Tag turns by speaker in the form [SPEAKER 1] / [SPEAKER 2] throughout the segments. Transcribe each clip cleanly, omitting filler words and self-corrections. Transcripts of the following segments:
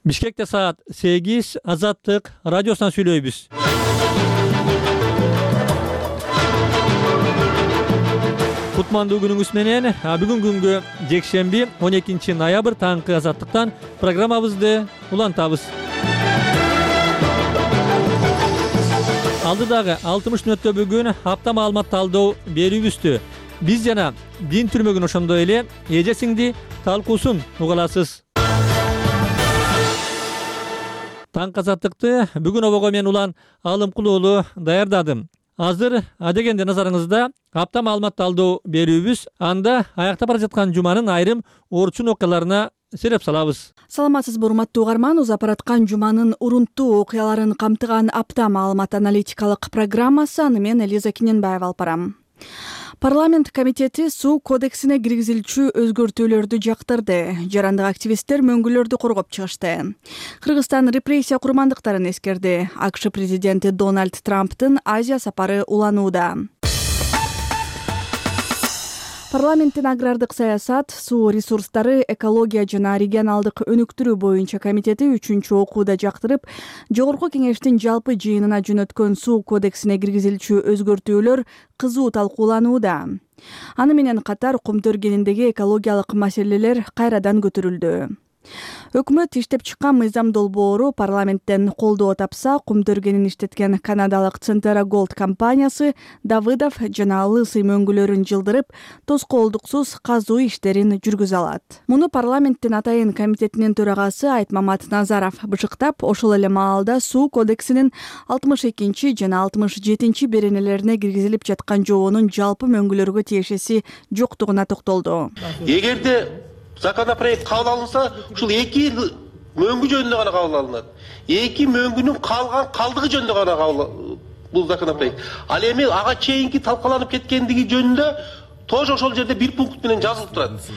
[SPEAKER 1] Бишкекте саат 8 Азаттык радиосунан сүйлөйбүз. Кутмандуу күнүңүз менен. Бүгүн күнгө жекшемби 12 ноябрь таңкы Азаттыктан программабызды улантабыз. Алдыдагы 60 мүнөттө бүгүн апта маалымат талдоо берүүбүздү биз жана дин түрмөгүн ошондой эле эжесиңди талкуусун угаласыз. Таң Азаттыкты бүгүн обого мен Улан Алымкулуулу даярдадым. Азыр адегенде назарыңызда апта маалымат талдоо берүүбүз. Анда аякта бара жаткан жуманын айрым орчун окуяларына сереп салабыз.
[SPEAKER 2] Саламатсызбы урматтуу угарман, узап бараткан жуманын урунттуу окуяларын камтыган апта маалымат аналитикалык программасы. Аны мен Элиза Кененбаева алып барам. Парламент комитети суу кодексине киргизилчү өзгөртүүлөрдү жактырды. Жарандык активисттер мөңгүлөрдү коргоп чыгышты. Кыргызстан репрессия курмандыктарын эскерди. АКШ президенти Дональд Трамптын Азия сапары уланууда. Парламенттин агрардык саясат, суу ресурстары, экология жана регионалдык өнүктүрүү боюнча комитети 3-чү окууда жактырып, Жогорку кеңештин жалпы жыйынына жөнөткөн суу кодексине киргизилчү өзгөртүүлөр кызуу талкууланууда. Аны менен катар кум төргениндеги экологиялык маселелер кайрадан көтөрүлдү. Өкмөт иштеп чыккан мыйзам долбоору парламенттен колдоо тапса, кум төргенин иштеткен канадалык Centerra Gold компаниясы Давыдов жана Лысый мөңгүлөрүн жылдырып, тоскоолдуксуз казуу иштерин жүргүзө алат. Муну парламенттин атайын комитетинин төрагасы Айтмамат Назаров бышыктап, ошол эле маалда суу кодексинин 62 жана 67 беренелерине киргизилип жаткан жобонун жалпы мөңгүлөргө тиешеси жоктугуна токтолду.
[SPEAKER 3] Эгерде законопроект кабыл алынса, ушул 2 мөңгү жөнүндө гана кабыл алынат. 2 мөңгүнүн калдыгы жөнүндө гана кабыл бул законопроект. Ал эми ага чейинки талкаланып кеткендиги жөнүндө тоже ошол жерде бир пункт менен жазылып турат.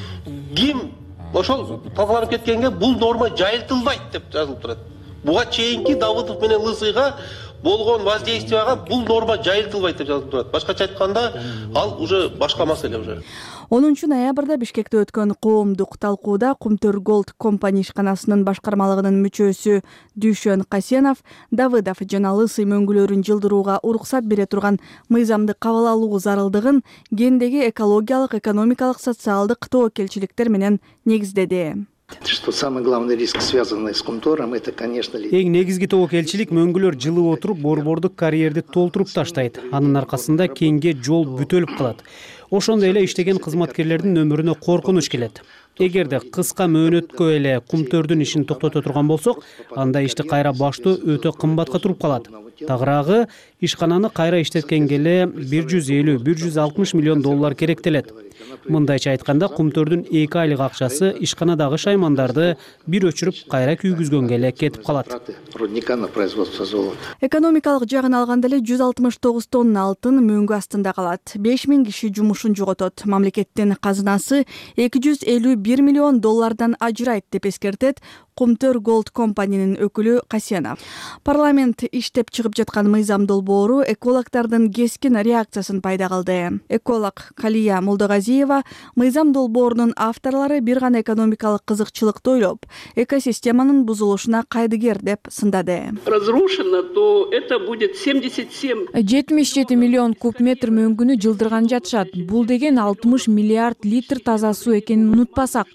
[SPEAKER 3] Ким ошол талкаланып кеткенге бул норма жайылтылбайт деп жазылып турат. Буга чейинки Давыдов менен Лысыйга болгон воздействияга бул норма жайылтылбайт деп жазылып турат. Башкача айтканда, ал уже башка маселе уже.
[SPEAKER 2] 10 ноябрда Бишкекте өткөн коомдук талкууда Кумтөр Gold компания ишканасынын башкармалыгынын мүчөсү Дүйшөн Касенов Давыдов жана Лысый мөңгүлөрүн жылдырууга уруксат бере турган мыйзамды кабыл алуу зарылдыгын гендеги экологиялык, экономикалык, социалдык тобокелчиликтер менен негиздеди.
[SPEAKER 4] Что самый главный риск, связанный с Кумтором, это, конечно,
[SPEAKER 5] эң негизги тобокелчилик мөңгүлөр жылып отуруп, борбордук карьерди толтуруп таштайт. Анын аркасында кеңге жол бүтөлүп калат. Ошондой эле иштеген кызматкерлердин өмүрүнө коркунуч келет. Эгерде кыска мөөнөткө эле Кумтөрдүн ишин токтото турган болсок, анда ишти кайра баштоо өтө кымбатка туруп калат. Тагыраагы ишкананы кайра иштеткенге эле 150-160 миллион доллар керектелет. Мындайча айтканда, Кумтөрдүн 2 айлык акчасы ишканадагы шаймандарды бир өчүрүп кайра күйгүзгөнгө эле кетип калат.
[SPEAKER 2] Экономикалык жагын алганда эле 169 тонна алтын мөңгү астында калат. 5000 киши жумушун жоготот. Мамлекеттин казынасы 251 миллион доллардан ажырайт деп эскертет Кумтөр Gold компаниянын өкүлү Касенов. Парламент иштеп чыгып жаткан мыйзам долбоору экологдордун кескин реакциясын пайда кылды. Эколог Калия Молдогазиева мыйзам долбоорунун авторлору бир гана экономикалык кызыкчылыкты ойлоп, экосистеманын бузулушуна кайдыгер деп сындады.
[SPEAKER 6] Разрушено, то это будет
[SPEAKER 7] 77 миллион куб метр мөңгүнү жылдырган жатышат. Бул деген 60 миллиард литр таза суу экенин унутпасак.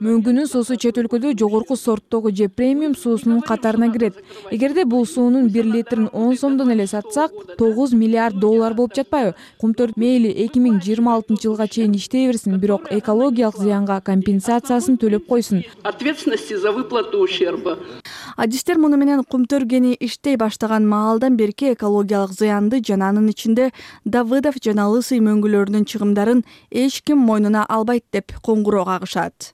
[SPEAKER 7] Мөңгүнүн суусу чет өлкөдө жогорку сорттогу же премиум суусунун катарына кирет. Эгерде бул суунун 1 литрин 10 сомдон эле сатсак, 9 миллиард доллар болуп жатпайбы? Кумтөр мейли 2026 жылга чейин иштей берсин, бирок экологиялык зыянга компенсациясын төлөп койсун.
[SPEAKER 6] Ответственности за выплату ущерба.
[SPEAKER 2] Адистер муну менен Кумтөргени иштей баштаган маалдан берки экологиялык зыянды жана анын ичинде Давыдов жана Лысый мөңгүлөрүнүн чыгымдарын эч ким мойнуна албайт деп коңгуроо кагышат.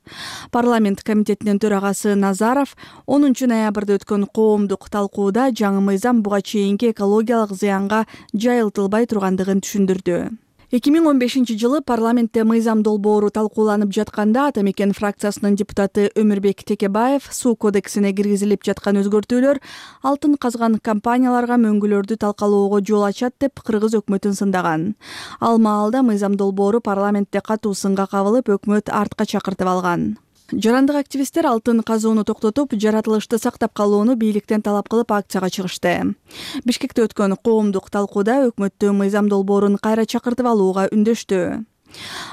[SPEAKER 2] Парламент комитетинин төрагасы Назаров 10 ноябрда өткөн коомдук талкууда жаңы мыйзам буга чейинки экологиялык зыянга жайылтылбай тургандыгын түшүндүрдү. 2015 жылы парламентте мыйзам долбоору талкууланып жатканда Ата мекен фракциясынын депутаты Өмүрбек Текебаев суу кодексине киргизилип жаткан өзгөртүүлөр алтын казган компанияларга мөңгүлөрдү талкалоого жол ачат деп кыргыз өкмөтүн сындаган. Ал маалда мыйзам долбоору парламентте катуу сынга кабылып, өкмөт артка чакыртып алган. Жарандык активисттер алтын казууну токтотуп, жаратылышты сактап калууну бийликтен талап кылып акцияга чыгышты. Бишкекте өткөн коомдук талкууда өкмөттү мыйзам долбоорун кайра чакыртып алууга үндөштү.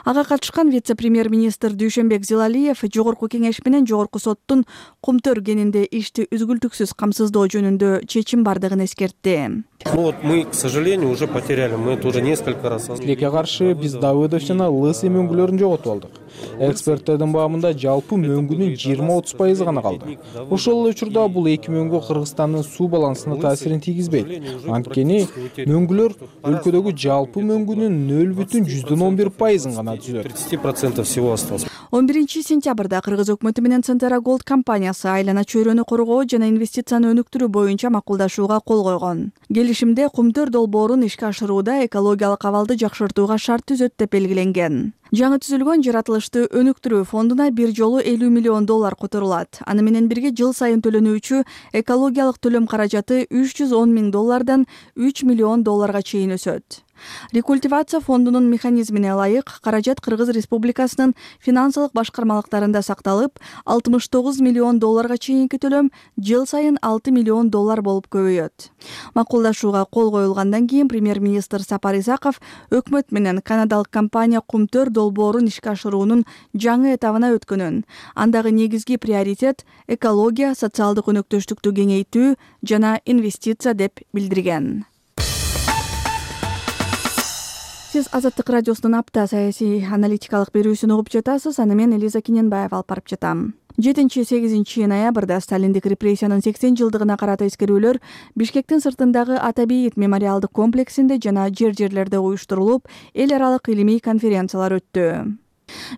[SPEAKER 2] Ага катышкан вице-премьер-министр Дүйшөнбек Зилалиев Жогорку кеңеш менен Жогорку соттун Кумтөр кенинде ишти үзгүлтүксүз камсыздоо жөнүндө чечим бардыгын эскертти.
[SPEAKER 8] Мы, к сожалению, уже потеряли. Мы это уже несколько раз.
[SPEAKER 9] Тилекке каршы биз Давыдов жана Лысый мөңгүлөрүн жоготуп алдык. Эксперттердин баамында жалпы мөңгүнүн 20-30% гана калды. Ошол эле учурда бул эки мөңгү Кыргызстандын суу балансына таасирин тийгизбейт. Анткени мөңгүлөр өлкөдөгү жалпы мөңгүнүн 0,11% гана түзөт.
[SPEAKER 8] 30% всего осталось.
[SPEAKER 2] 11 сентябрда Кыргыз өкмөтү менен Центера Голд компаниясы айлана чөйрөнү коргоо жана инвестицияны өнүктүрүү боюнча макулдашууга кол койгон. Келишимде Кумтөр долбоорун ишке ашырууда экологиялык абалды жакшыртууга шарт түзөт деп белгиленген. Жаңы түзүлгөн жаратылышты өнүктүрүү фондуна бир жолу $50 миллион которулат. Аны менен бирге жыл сайын төлөнүүчү экологиялык төлөм каражаты $310 миң $3 миллион чейин өсөт. Рекультивация фондунун механизмине ылайык каражат Кыргыз Республикасынын финансылык башкармалыктарында сакталып, $69 миллион чейинки төлөм жыл сайын $6 миллион болуп көбөйөт. Макулдашууга кол коюлгандан кийин премьер-министр Сапар Исаков өкмөт менен канадалык компания Кумтөр долбоорун ишке ашыруунун жаңы этабына өткөнүн, андагы негизги приоритет экология, социалдык өнөктөштүктү кеңейтүү жана инвестиция деп билдирген. Сиз Азаттык радиосунун апта саясий аналитикалык берүүсүн угуп жатасыз. Аны мен Элиза Киненбаева алып барып жатам. 7-8 ноябрда Сталиндик репрессиянын 80 жылдыгына карата эскерүүлөр Бишкектин сыртындагы Атабейит мемориалдык комплексинде жана жерлерде уюштурулуп, эл аралык илимий конференциялар өттү.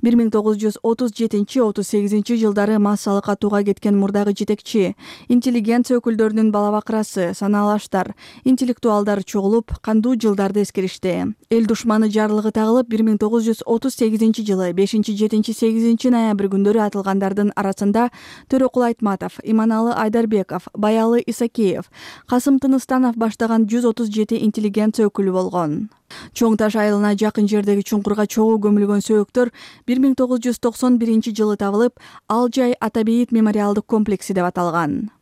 [SPEAKER 2] 1937-38 жылдары массалык атууга кеткен мурдагы жетекчи, интеллигенция өкүлдөрүнүн балабакрасы, санаалаштар, интеллектуалдар чогулуп, кандуу жылдарды эскеришти. Эл душманы жарлыгы тагылып, 1938 жылы 5-7-8 ноябрь күндөрү атылгандардын арасында Төрөкул Айтматов, Иманалы Айдарбеков, Баялы Исакеев, Касым Тыныстанов баштаган 137 интеллигенция өкүлү болгон. Чоң Таш айылына жакын жердеги чуңкурга чогуу көмүлгөн сөөктөр 1991 жылы табылып, ал жай Атабейит мемориалдык комплекси деп аталган.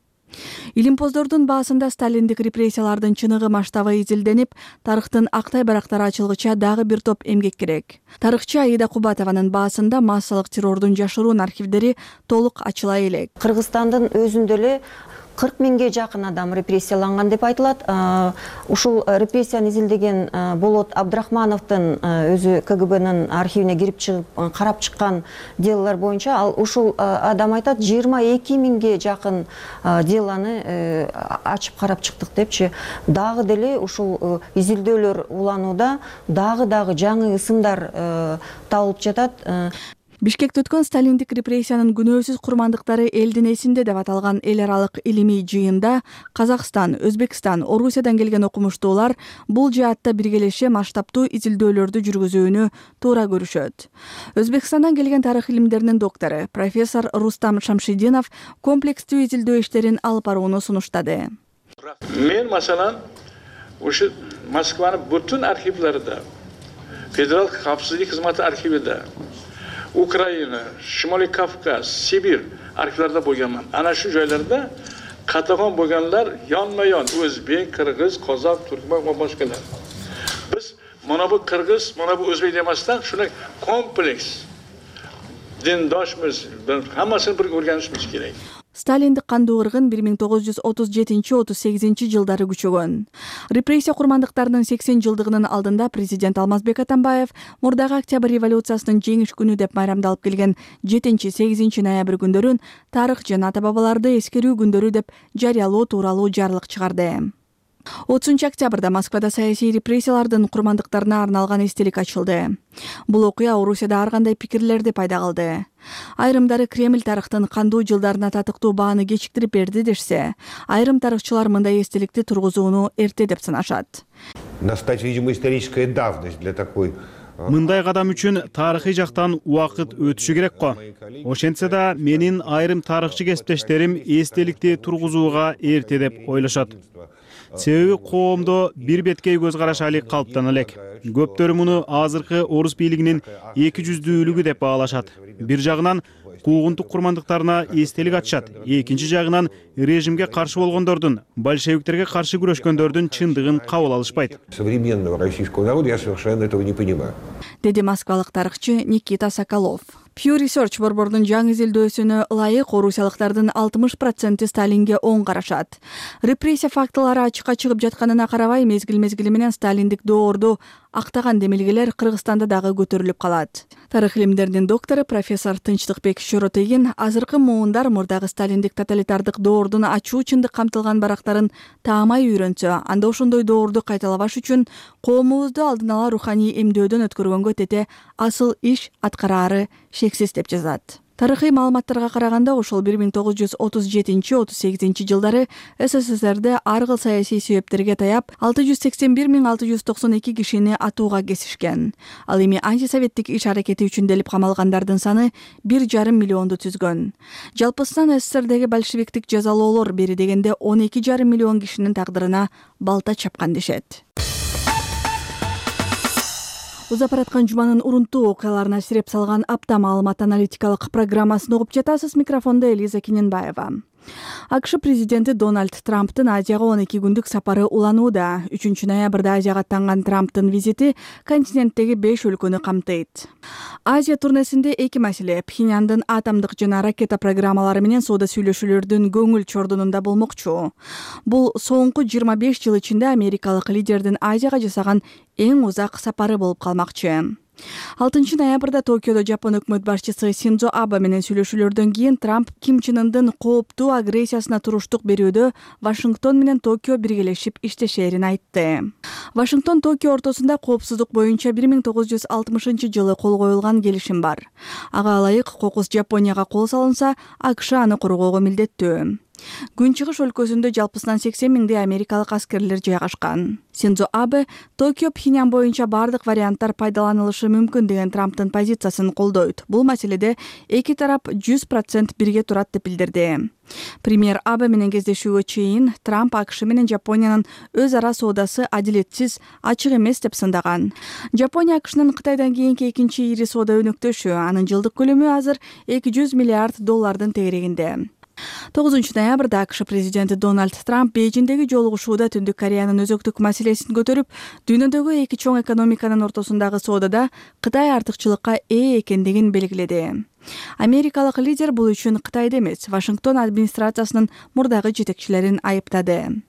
[SPEAKER 2] Илимпоздордун баасында сталиндик репрессиялардын чыныгы масштабы изилденип, тарыхтын актай барактары ачылгыча дагы бир топ эмгек керек. Тарыхчы Аида Кубатованын баасында массалык террордун жашыруун архивдери толук ачыла элек.
[SPEAKER 10] Кыргызстандын өзүндө эле 40 миңге жакын адам репрессияланган деп айтылат. Ушул репрессияны изилдеген Болот Абдрахмановдун өзү КГБнын архивине кирип чыгып карап чыккан делолор боюнча ал ушул адам айтат 22 миңге жакын делоны ачып карап чыктык депчи. Дагы деле ушул изилдөөлөр уланууда дагы жаңы ысымдар табылып жатат.
[SPEAKER 2] Бишкекте өткөн сталиндик репрессиянын күнөөсүз курмандыктары элдин эсинде деп аталган эл аралык илимий жыйында Казакстан, Өзбекстан, Орусиядан келген окумуштуулар бул жаатта биргелеше масштабтуу изилдөөлөрдү жүргүзүүнү туура көрүшөт. Өзбекстандан келген тарых илимдеринин доктору, профессор Рустам Шамшидинов комплекстүү изилдөө иштерин алып барууну сунуштады.
[SPEAKER 11] Мен масалан ушу Москванын бүтүн архивларында, Федерал капсыздык кызматы архивинде, Украина, Шимолий Кавказ, Сибирь архивларында болгонмун. Ана шу жайларда катаган болгонлар yonma-yon Өзбек, Кыргыз, Козак, Түркмөн ва башкалар. Биз мына бу Кыргыз, мына бу Өзбек демастан шуны комплекс диндошмуз, хаммасын бир o'rganishimiz керек.
[SPEAKER 2] Сталиндик кандуу ыргын 1937-38 жылдары күчөгөн. Репрессия курмандыктарынын 80 жылдыгынын алдында президент Алмазбек Атамбаев мурдагы Октябрь революциясынын жеңиш күнү деп майрамдалып келген 7-8 ноябрь күндөрүн тарых жана ата-бабаларды эскерүү күндөрү деп жарыялоо тууралуу жарлык чыгарды. 30 октябрда Москвада саясий репрессиялардын курмандыктарына арналган эстелик ачылды. Бул окуя Орусияда ар кандай пикирлерди пайда кылды. Айрымдары Кремль тарыхтын кандуу жылдарына татыктуу бааны кечиктирип берди дешсе, айрым тарыхчылар мындай эстеликти тургузууну эрте деп санашат.
[SPEAKER 12] Мындай кадам үчүн тарыхый жактан убакыт өтүшү керек го. Ошентсе да менин айрым тарыхчы кесиптештерим эстеликти тургузууга эрте деп ойлошот. Себеби коомдо бир беткей көз караш али калыптана элек. Көптөрү муну азыркы орус бийлигинин эки жүздүүлүгү деп баалашат. Бир жагынан куугунтук курмандыктарына эстелик ачышат, экинчи жагынан режимге каршы болгондордун, большевиктерге каршы күрөшкөндөрдүн чындыгын кабыл алышпайт.
[SPEAKER 13] Современного российского народа я совершенно этого не понимаю.
[SPEAKER 2] Деди москвалык тарыхчы Никита Соколов. Pew Research борбордун жаңы изилдөөсүнө ылайык орусиялыктардын 60% Сталинге оң карашат. Репрессия фактылары ачыкка чыгып жатканына карабай, мезгил менен сталиндик доорду актаган демилгелер Кыргызстанда дагы көтөрүлүп калат. Тарых илимдеринин доктору профессор Тынчтыкбек Шоротегин азыркы муундар мурдагы сталиндик тоталитардык доордун ачуу чындык камтылган барактарын таамай үйрөнсө, анда ошондой доорду кайталабаш үчүн коомубузду алдын ала руханий эмдөөдөн өткөргөнгө тете асыл иш аткараары шексиз деп жазат. Тарыхый маалыматтарга караганда, ошол 1937-38 жылдары СССРде ар кыл саясий себептерге таяп 681.692 кишини атууга кесишкен. Ал эми антисоветтик иш-аракети үчүн делип камалгандардын саны 1,5 миллионду түзгөн. Жалпысынан СССРдеги большевиктик жазалоолор бери дегенде 12,5 миллион кишинин тагдырына балта чапкан дешет. Узап бараткан жуманын урунтуу окуяларына сиреп салган апта маалымат аналитикалык программасын угуп жатасыз. Микрофондо Элиза Киненбаева. АКШ президенти Дональд Трамптын Азияга 12 күндүк сапары уланууда. 3 ноябрда Азияга аттанган Трамптын визити континенттеги 5 өлкөнү камтыйт. Азия турнесинде эки маселе: Пхеньяндын атомдук жана ракета программалары менен соода сүйлөшүүлөрдүн көңүл чордунунда болмокчу. Бул соңку 25 жыл ичинде америкалык лидердин Азияга жасаган эң узак сапары болуп калмакчы. 6 ноябрда Токиодо Жапон өкмөт башчысы Синдзо Абе менен сүйлөшүүлөрдөн кийин Трамп Ким Чен Ындын кооптуу агрессиясына туруштук берүүдө Вашингтон менен Токио биргелешип иштешерин айтты. Вашингтон Токио ортосунда коопсуздук боюнча 1960 жылы кол коюлган келишим бар. Ага ылайык кокус Жапонияга кол салынса, АКШ аны коргоого милдеттүү. Күнчыгыш өлкөсүндө жалпысынан 80 миңдей америкалык аскерлер жайгашкан. Синдзо Абе Токио Пхеньян боюнча бардык варианттар пайдаланылышы мүмкүн деген Трамптын позициясын колдойт. Бул маселеде эки тарап 100% бирге турат деп билдирди. Премьер Абе менен кездешүүгө чейин Трамп АКШ менен Жапониянын өз ара соодасы адилетсиз, ачык эмес деп сындаган. Жапония АКШнын Кытайдан кийинки экинчи ири соода өнөктөшү, анын жылдык көлөмү азыр $200 миллиард тегерегинде. 9 ноябрда АКШ президенти Дональд Трамп Бейжиңдеги жолугушууда Түндүк Кореянын өзөктүк маселесин көтөрүп, дүйнөдөгү эки чоң экономиканын ортосундагы соодада Кытай артыкчылыкка ээ экендигин белгиледи. Америкалык лидер бул үчүн Кытайды эмес, Вашингтон администрациясынын мурдагы жетекчилерин айыптады.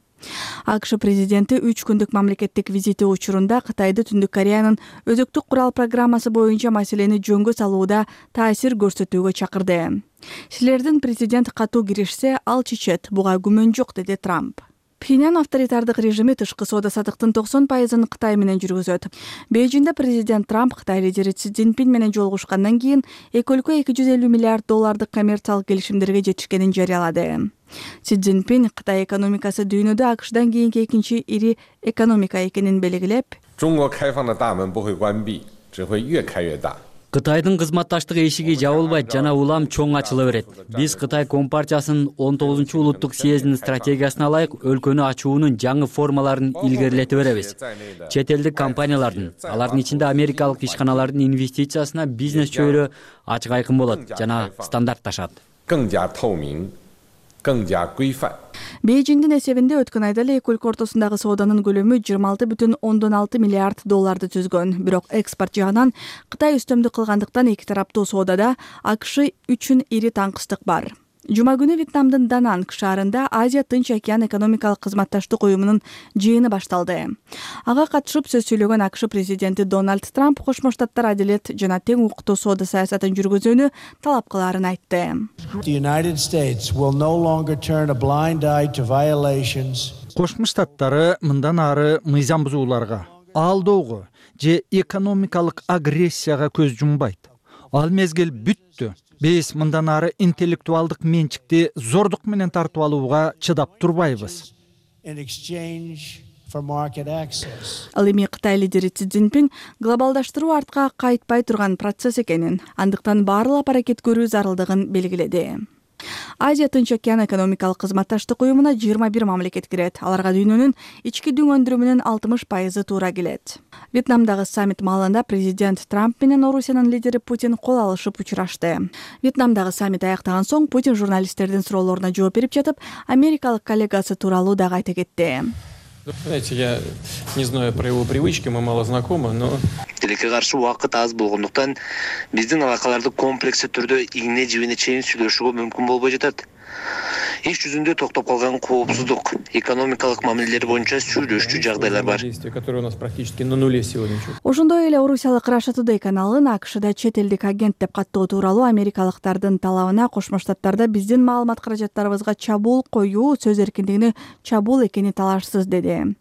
[SPEAKER 2] АКШ президенти 3 күндүк мамлекеттик визити учурунда Кытайды Түндүк Кореянын өзөктүк курал программасы боюнча маселени жөнгө салууда таасир көрсөтүүгө чакырды. Силердин президент катуу киришсе, ал чечет, буга күмөн жок, деди Трамп. Пхеньян авторитардык режими тышкы соода сатыктын 90%-ын Кытай менен жүргүзөт. Бейжиңде президент Трамп Кытай лидери Си Цзиньпин менен жолугушкандан кийин эки өлкө $250 миллиард коммерциялык келишимдерге жетишкенин жарыялады. Си Цзиньпин Кытай экономикасы дүйнөдө АКШдан кийинки экинчи ири экономика экенин белгилеп,
[SPEAKER 14] Кытайдын кызматташтык эшиги жабылбайт жана улам чоң ачыла берет. Биз Кытай Компартиясынын 19 улуттук съездинин стратегиясына ылайык өлкөнү ачуунун жаңы формаларын илгерилете беребиз. Чет элдик компаниялардын, алардын ичинде америкалык ишканалардын инвестициясына бизнес чөйрө ачык айкын болот жана стандартташат.
[SPEAKER 2] Бейжиңдин эсебинде өткөн айда эле эки өлкө ортосундагы сооданын көлөмү $26,6 миллиард түзгөн. Бирок экспорт жагынан Кытай үстөмдүк кылгандыктан эки тараптуу соодада АКШ үчүн ири таңкыстык бар. Жума күнү Вьетнамдын Дананг шаарында Азия Тынч океан экономикалык кызматташтык уюмунун жыйыны башталды. Ага катышып сөз сүйлөгөн АКШ президенти Дональд Трамп Кошмо Штаттар адилет жана тең укуктуу соода саясатын жүргүзүүнү талап кылаарын айтты.
[SPEAKER 15] Кошмо Штаттары мындан ары мыйзам бузууларга, алдоого же экономикалык агрессияга көз жумбайт. Ал мезгил бүттү. Биз мындан ары интеллектуалдык менчикти зордук менен тартып алууга чыдап турбайбыз.
[SPEAKER 2] Ал эми Кытай лидери Си Цзиньпин глобалдаштыруу артка кайтпай турган процесс экенин, андыктан баарлап аракет көрүү зарылдыгын белгиледи. Азия Тынч океан экономикалык кызматташтык уюмуна 21 мамлекет кирет. Аларга дүйнөнүн ички дүң өндүрүмүнүн 60% туура келет. Вьетнамдагы саммит маалында президент Трамп менен Орусиянын лидери Путин кол алышып учурашты. Вьетнамдагы саммит аяктаган соң Путин журналисттердин суроолоруна жооп берип жатып, америкалык коллегасы тууралуу дагы айта кетти.
[SPEAKER 16] Знаете, я не знаю про его привычки, мы мало знакомы, но...
[SPEAKER 17] Тилекке каршы убакыт аз болгондуктан биздин алакаларды комплекстүү түрдө игне жибине чейин сүйлөшүүгө мүмкүн болбой жатат. Иш жүзүндө токтоп калган коопсуздук, экономикалык мамилелер боюнча сүйлөшчү жагдайлар бар.
[SPEAKER 16] Которые у нас практически на нуле сегодня.
[SPEAKER 2] Ошондой эле орусиялык Russia Today каналын АКШда чет элдик агент деп каттоо тууралуу америкалыктардын талабына Кошмо Штаттарда биздин маалымат каражаттарыбызга чабуул коюу сөз эркиндигине чабуул экени талашсыз деди.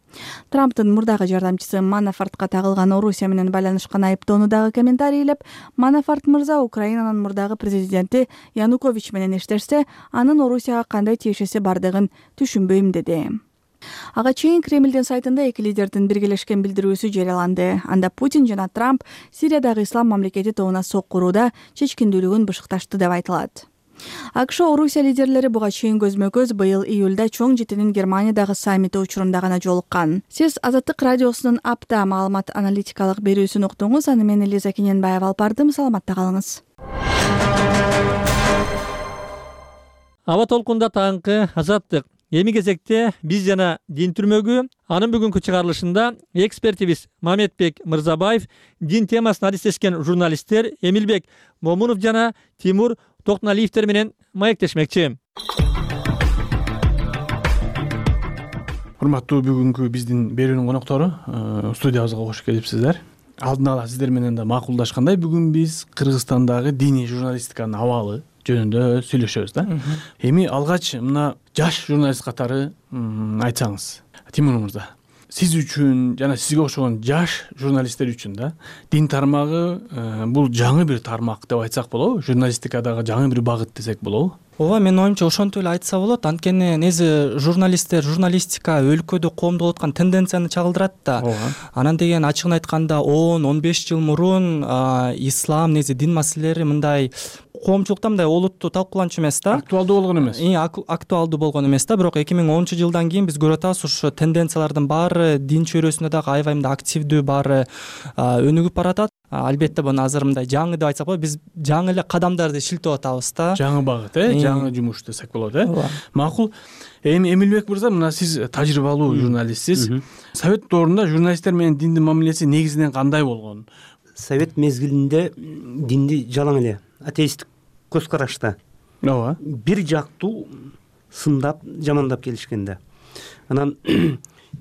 [SPEAKER 2] Трамптын мурдагы жардамчысы Манафортко тагылган Орусия менен байланышкан айыптоону дагы комментарийлеп, Манафорт мырза Украинанын мурдагы президенти Янукович менен иштешсе, анын Орусияга кандай тиешеси бардыгын түшүнбөйм деди. Ага чейин Кремлдин сайтында эки лидердин биргелешкен билдирүүсү жарыяланды. Анда Путин жана Трамп Сириядагы ислам мамлекети тобуна сок курууда чечкиндүүлүгүн бышыкташты деп айтылат. АКШ Орусия лидерлери буга чейин көзмө-көз быйыл июлда чоң жетинин Германиядагы саммити учурунда гана жолуккан. Сиз Азаттык радиосунун апта маалымат аналитикалык берүүсүн уктуңуз. Аны мен Элиза Кененбаева алып бардым. Саламатта калыңыз.
[SPEAKER 1] Аба толкунда таңкы Азаттык. Эми кезекте биз жана дин түрмөгү анын бүгүнкү чыгарылышында экспертибиз Мамедбек Мырзабаев, дин темасына адистешкен журналисттер Эмилбек Момунов жана Тимур Токтоналиевдер менен маектешмекчи.
[SPEAKER 12] Урматтуу бүгүнкү биздин берүүнүн коноктору, студиябызга кош келипсиздер. Алдын ала сиздер менен да макулдашкандай, бүгүн биз Кыргызстандагы диний журналистиканын абалы жөнүндө сүйлөшөбүз да. Эми алгач мына жаш журналист катары айтсаңыз, Тимур мырза, сиз үчүн жана сизге окшогон жаш журналисттер үчүн да дин тармагы бул жаңы бир тармак деп айтсак болобу? Журналистикадагы жаңы бир багыт десек болобу?
[SPEAKER 18] Ооба, менин оюмча ошентип эле айтса болот. Анткени негизи журналистика өлкөдө коомдо болуп аткан тенденцияны чагылдырат да. Анан деген ачыгын айтканда 10-15 жыл мурун ислам, негизи дин маселелери мындай коомчулукта мындай олуттуу талкууланчу эмес да.
[SPEAKER 12] Актуалдуу болгон эмес.
[SPEAKER 18] Актуалдуу болгон эмес да. Бирок 2010-жылдан кийин биз көрүп атабыз, ушу тенденциялардын баары дин чөйрөсүндө дагы аябай мындай активдүү, баары өнүгүп баратат. Албетте буну азыр мындай жаңы деп айтсак болот, биз жаңы эле кадамдарды шилтеп атабыз да.
[SPEAKER 12] Жаңы багыт, жаңы жумуш десек болот, Макул. Эми Эмилбек мырза, мына сиз тажрыйбалуу журналистсиз. Совет доорунда журналисттер менен диндин мамилеси негизинен кандай болгон?
[SPEAKER 19] Совет мезгилинде динди жалаң эле атеисттик көз карашта.
[SPEAKER 12] Ооба.
[SPEAKER 19] Бир жактуу сындап, жамандап келишкен да. Анан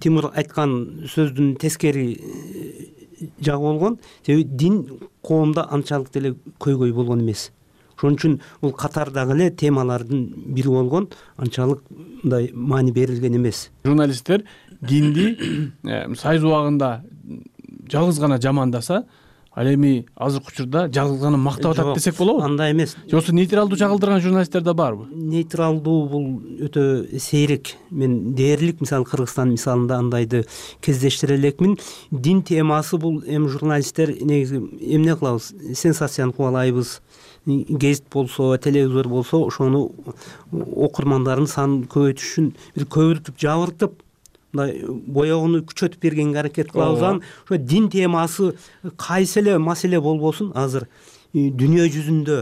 [SPEAKER 19] Тимур айткан сөздүн тескери жагы болгон, себеби дин коомдо анчалык деле көйгөй болгон эмес. Ошон үчүн бул катардагы эле темалардын бири болгон, анчалык мындай маани берилген эмес.
[SPEAKER 12] Журналисттер динди Союз убагында жалгыз гана жамандаса, ал эми азыркы учурда жалгыз гана мактап атат десек болобу?
[SPEAKER 19] Андай эмес.
[SPEAKER 12] Жоксу нейтралдуу чагылдырган журналисттер да барбы?
[SPEAKER 19] Нейтралдуу бул өтө сейрек. Мен дээрлик мисалы Кыргызстан мисалында андайды кездештире элекмин. Дин темасы бул эми журналисттер негизи эмне кылабыз? Сенсацияны кубалайбыз. Гезит болсо, телевизор болсо, ошону окурмандардын санын көбөйтүш үчүн бир көбүртүп, жабыртып, мындай боёгуну күчөтүп бергенге аракет кылабыз. Ошо дин темасы кайсы эле маселе болбосун, азыр дүйнө жүзүндө,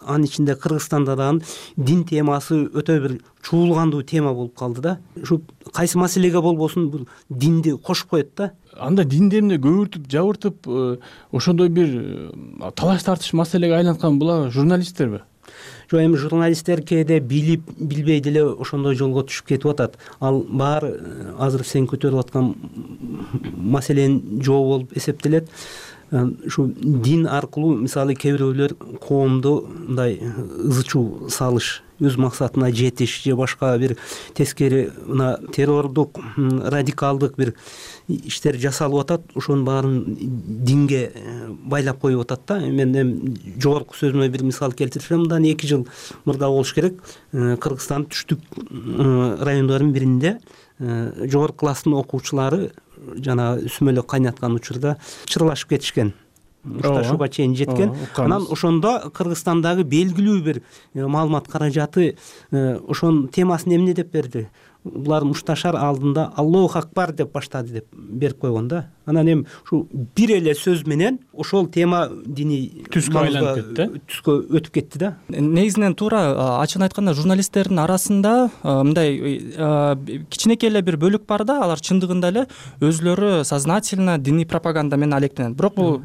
[SPEAKER 19] анын ичинде Кыргызстанда дагы дин темасы өтө бир чуулгандуу тема болуп калды да. Ушу кайсы маселеге болбосун бул динди кошуп коет да.
[SPEAKER 12] Анда динди эмне көбүртүп, жабыртып, ошондой бир талаш тартыш маселеге айланткан булар журналисттерби?
[SPEAKER 19] Жок, эми журналисттер кээде билип, билбей деле ошондой жолго түшүп кетип атат. Ал баары азыр сен көтөрүп аткан маселенин жообу болуп эсептелет. Ушу дин аркылуу мисалы кээ бирөөлөр коомду мындай ызы чуу салыш, өз максатына жетиш же башка бир тескери мына террордук, радикалдык бир иштер жасалып атат. Ошонун баарын динге байлап коюп атат да. Мен жогорку сөзүмө бир мисал келтирсем, мындан 2 жыл мурда болуш керек. Кыргызстан түштүк райондордун биринде жогорку класстын окуучулары жана сүмөлөк кайнаткан учурда чырлашып кетишкен. мушташууга чейин жеткен. Анан ошондо Кыргызстандагы белгилүү бир маалымат каражаты ошонун темасын эмне деп берди? Булар мушташар алдында Аллаху акбар деп баштады деп берип койгон да. Анан эми ушу бир эле сөз менен ошол тема диний
[SPEAKER 5] түскө айланып кетти,
[SPEAKER 19] түскө өтүп кетти да.
[SPEAKER 18] Негизинен туура ачыгын айтканда журналисттердин арасында мындай кичинекей эле бир бөлүк бар да, алар чындыгында эле өзлөрү сознательно диний пропаганда менен алектенет. Бирок бул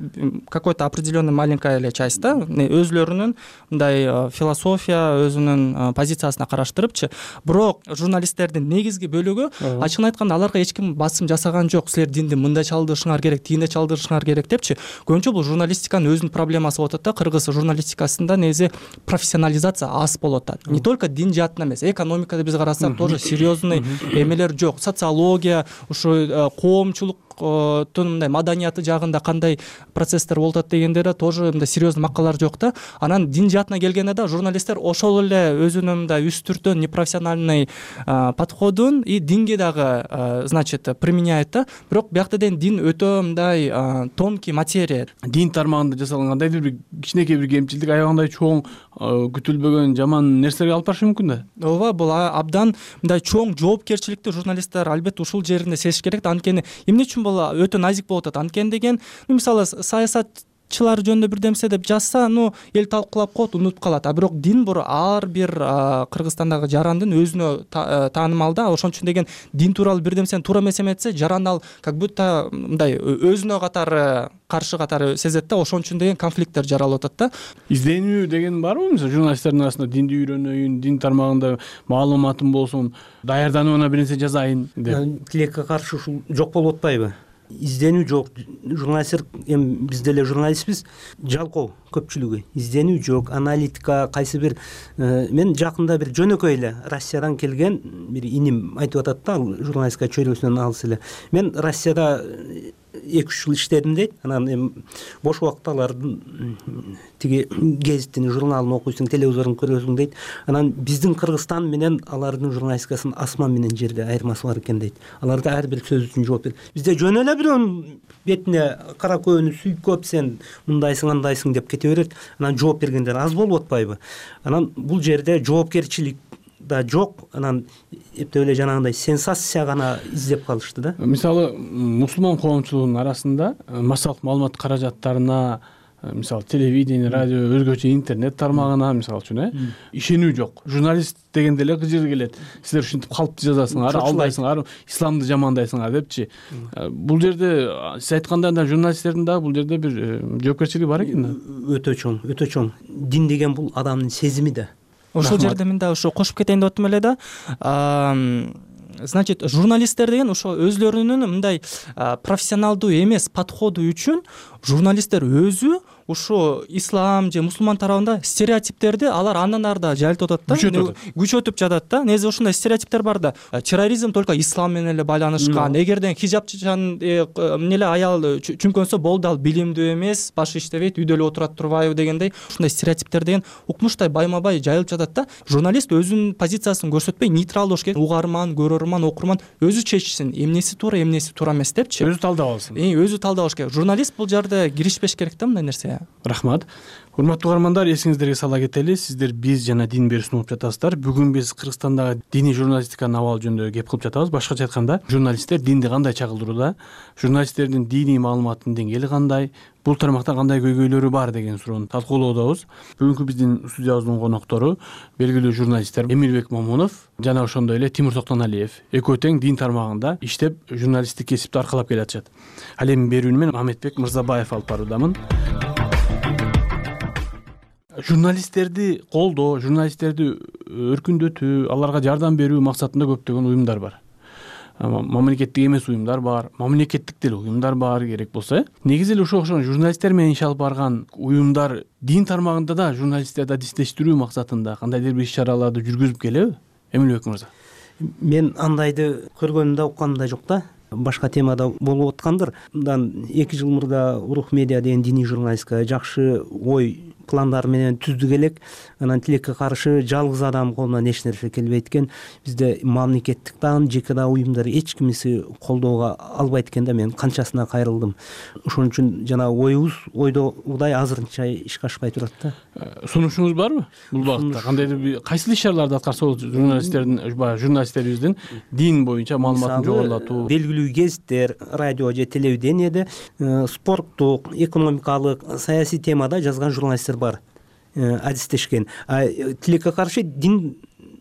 [SPEAKER 18] какой-то определенный маленькая эле часть да, өзлөрүнүн мындай философия, өзүнүн позициясына караштырыпчы. Бирок журналисттердин негизги бөлүгү ачыгын айтканда аларга эч ким басым жасаган жок. Силер динди мындай чалдырышыңар керек, тигиндей чалдырышыңар керек депчи. Көбүнчө бул журналистиканын өзүнүн проблемасы болуп атат да. Кыргыз журналистикасында негизи профессионализация аз болуп атат. Не только дин жаатынан эмес, экономикада биз карасак тоже серьезный эмелер жок. Социология, ушу коомчулук мындай маданияты жагында кандай процесстер болуп атат дегендер тоже мындай серьезный макалалар жок да. Анан дин жаатына келгенде да журналисттер ошол эле өзүнүн мындай үстүртөн непрофессиональный подходун и динге дагы значит применяет да. Бирок биякта ден дин өтө мындай тонкий материя.
[SPEAKER 5] Дин тармагында жасалган кандайдыр бир кичинекей бир кемчилдик аябагандай чоң күтүлбөгөн жаман нерселерге алып барышы мүмкүн да.
[SPEAKER 18] Ооба, бул абдан мындай чоң жоопкерчиликти журналисттер албетте ушул жеринде сезиш керек да. Анткени эмне үчүн бул өтө назик болуп атат? Анткени деген, мисалы саясатчылар жөнүндө бир демсе деп жазса, эл талкуулап коет, унутуп калат. А бирок дин ар бир Кыргызстандагы жарандын өзүнө таанымал да. Ошон үчүн деген дин тууралуу бир демсени туура эмес эметсе, жаран ал как будто мындай өзүнө катары каршы катары сезет да. Ошон үчүн деген конфликттер жаралып атат да.
[SPEAKER 5] Изденүү деген барбы? Мисалы журналисттердин арасында динди үйрөнөйүн, дин тармагында маалыматым болсун, даярданууна бир нерсе жазайын деп.
[SPEAKER 19] Тилекке каршы ушул жок болуп атпайбы? Изденүү жок. Журналисттер, эми биз деле журналистпиз, жалкоо көпчүлүгү. Изденүү жок, аналитика, кайсы бир мен жакында бир жөнөкөй эле Россиядан келген бир иним айтып атат да, журналистика чөйрөсүнөн алыс эле. Мен Россияда 2-3 жыл иштедим дейт. Анан эми бош убакытта алардын тиги гезитин, журналын окуйсуң, телевизорун көрөсүң дейт. Анан биздин Кыргызстан менен алардын журналистикасынын асман менен жерде айырмасы бар экен дейт. Аларда ар бир сөз үчүн жооп берет. Бизде жөн эле бирөөнүн бетине кара көөнү сүйкөп, сен мындайсың, андайсың деп кете берет. Анан жооп бергендер аз болуп атпайбы? Анан бул жерде жоопкерчилик да жок. Анан эптеп эле жанагындай сенсация гана издеп калышты да.
[SPEAKER 5] Мисалы мусулман коомчулугунун арасында массалык маалымат каражаттарына, мисалы телевидение, радио, өзгөчө интернет тармагына мисалы үчүн ишенүү жок. Журналист дегенде эле кыжыр келет. Силер ушинтип калыпты жазасыңар, алдайсыңар, исламды жамандайсыңар депчи. Бул жерде сиз айткандай журналисттердин дагы бул жерде бир жоопкерчилиги бар экен да.
[SPEAKER 19] Өтө чоң, өтө чоң. Дин деген бул адамдын сезими да.
[SPEAKER 18] Ошол жерде мен дагы кошуп кетейин деп атам эле да. Значит, журналисттер деген ошо өзлөрүнүн мындай профессионалдуу эмес подходу үчүн журналисттер өзү ушу ислам же мусулман тарабында стереотиптерди алар андан ары да жайылтып атат да, күчөтүп жатат да. Негизи ушундай стереотиптер бар да. Терроризм только ислам менен эле байланышкан. Эгерден хижабчан эмнеле аял чүңкөнсө болду, ал билимдүү эмес, башы иштебейт, үйдө эле отурат турбайбы дегендей ушундай стереотиптер деген укмуштай байма-бай жайылып жатат да. Журналист өзүнүн позициясын көрсөтпөй нейтрал болуш керек. Угарман, көрөрман, окурман өзү чечсин, эмнеси туура, эмнеси туура эмес депчи.
[SPEAKER 5] Өзү талдап алсын.
[SPEAKER 18] Өзү талдабаш керек. Журналист бул жерде киришпеш керек да мындай нерсе.
[SPEAKER 5] Рахмат. Урматтуу угармандар, эсиңиздерге сала кетели, сиздер биз жана дин берүүсүн угуп жатасыздар. Бүгүн биз Кыргызстандагы диний журналистиканын абалы жөнүндө кеп кылып жатабыз. Башкача айтканда, журналисттер динди кандай чагылдырууда, журналисттердин диний маалыматтын деңгээли кандай, бул тармакта кандай көйгөйлөрү бар деген суроону талкуулоодобуз. Бүгүнкү биздин студиябыздын коноктору белгилүү журналисттер Эмирбек Момунов жана ошондой эле Тимур Токтоналиев. Экөө тең дин тармагында иштеп, журналисттик кесипти аркалап келатышат. Ал эми берүүнү мен Мамедбек Мырзабаев алып баруудамын. Журналисттерди колдоо, журналисттерди өркүндөтүү, аларга жардам берүү максатында көптөгөн уюмдар бар. Мамлекеттик эмес уюмдар бар, мамлекеттик деле уюмдар бар керек болсо. Негизи эле ошол журналисттер менен иш алып барган уюмдар дин тармагында да журналисттерди адистештирүү максатында кандайдыр бир иш-чараларды жүргүзүп келеби? Эмилбек мырза.
[SPEAKER 19] Мен андайды көргөнүм да, укканым да жок да. Башка темада болуп аткандыр. Мындан 2 жыл мурда Урух медиа деген диний журналистика жакшы ой пландары менен түздүк элек, анан тилекке каршы жалгыз адам колунан эч нерсе келбейт экен. Бизде мамлекеттик дагы, жеке дагы уюмдар эч кимиси колдоого албайт экен да, мен канчасына кайрылдым. Ошон үчүн жана ойдогудай азырынча ишке ашпай турат да.
[SPEAKER 20] Сунушуңуз барбы бул багытта? Кандайдыр бир кайсы иш-чараларды аткарса болот журналисттерибиздин дин боюнча маалыматын жогорулатуу?
[SPEAKER 19] Белгилүү гезиттер, радио же телевидениеде спорттук, экономикалык, саясий темада жазган журналисттер бар, адистешкен. Тилекке каршы дин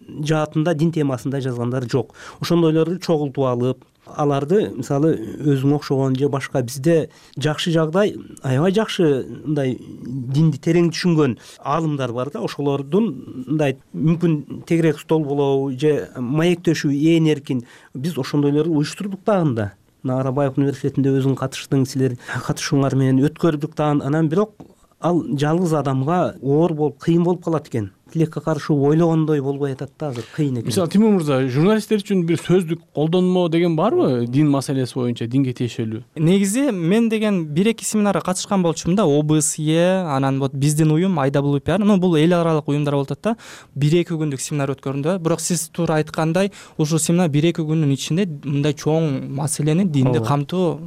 [SPEAKER 19] жаатында, дин темасында жазгандар жок. Ошондойлорду чогултуп алып, аларды мисалы өзүңө окшогон же башка бизде жакшы жагдай, аябай жакшы мындай динди терең түшүнгөн аалымдар бар да, ошолордун мындай мүмкүн тегерек стол болобу же маектешүү ээн эркин биз ошондойлорду уюштурдук дагы. Арабаев университетинде өзүң катыштың, силер катышууңар менен өткөрдүк дагы. Анан бирок ал жалгыз адамга оор болуп, кыйын болуп калат экен. Тилекке каршы ойлогондой болбой атат да, азыр кыйын экен.
[SPEAKER 20] Мисалы Тимур мырза, журналисттер үчүн бир сөздүк колдонмо деген барбы дин маселеси боюнча, динге тиешелүү?
[SPEAKER 18] Негизи мен деген 1-2 семинарга катышкан болчумун да, ОБСЕ, анан вот биздин уюм IWPR, бул эл аралык уюмдар болуп атат да. 1-2 күндүк семинар өткөрдү. Бирок сиз туура айткандай, ушул семинар 1-2 күндүн ичинде мындай чоң маселени, динди камтуу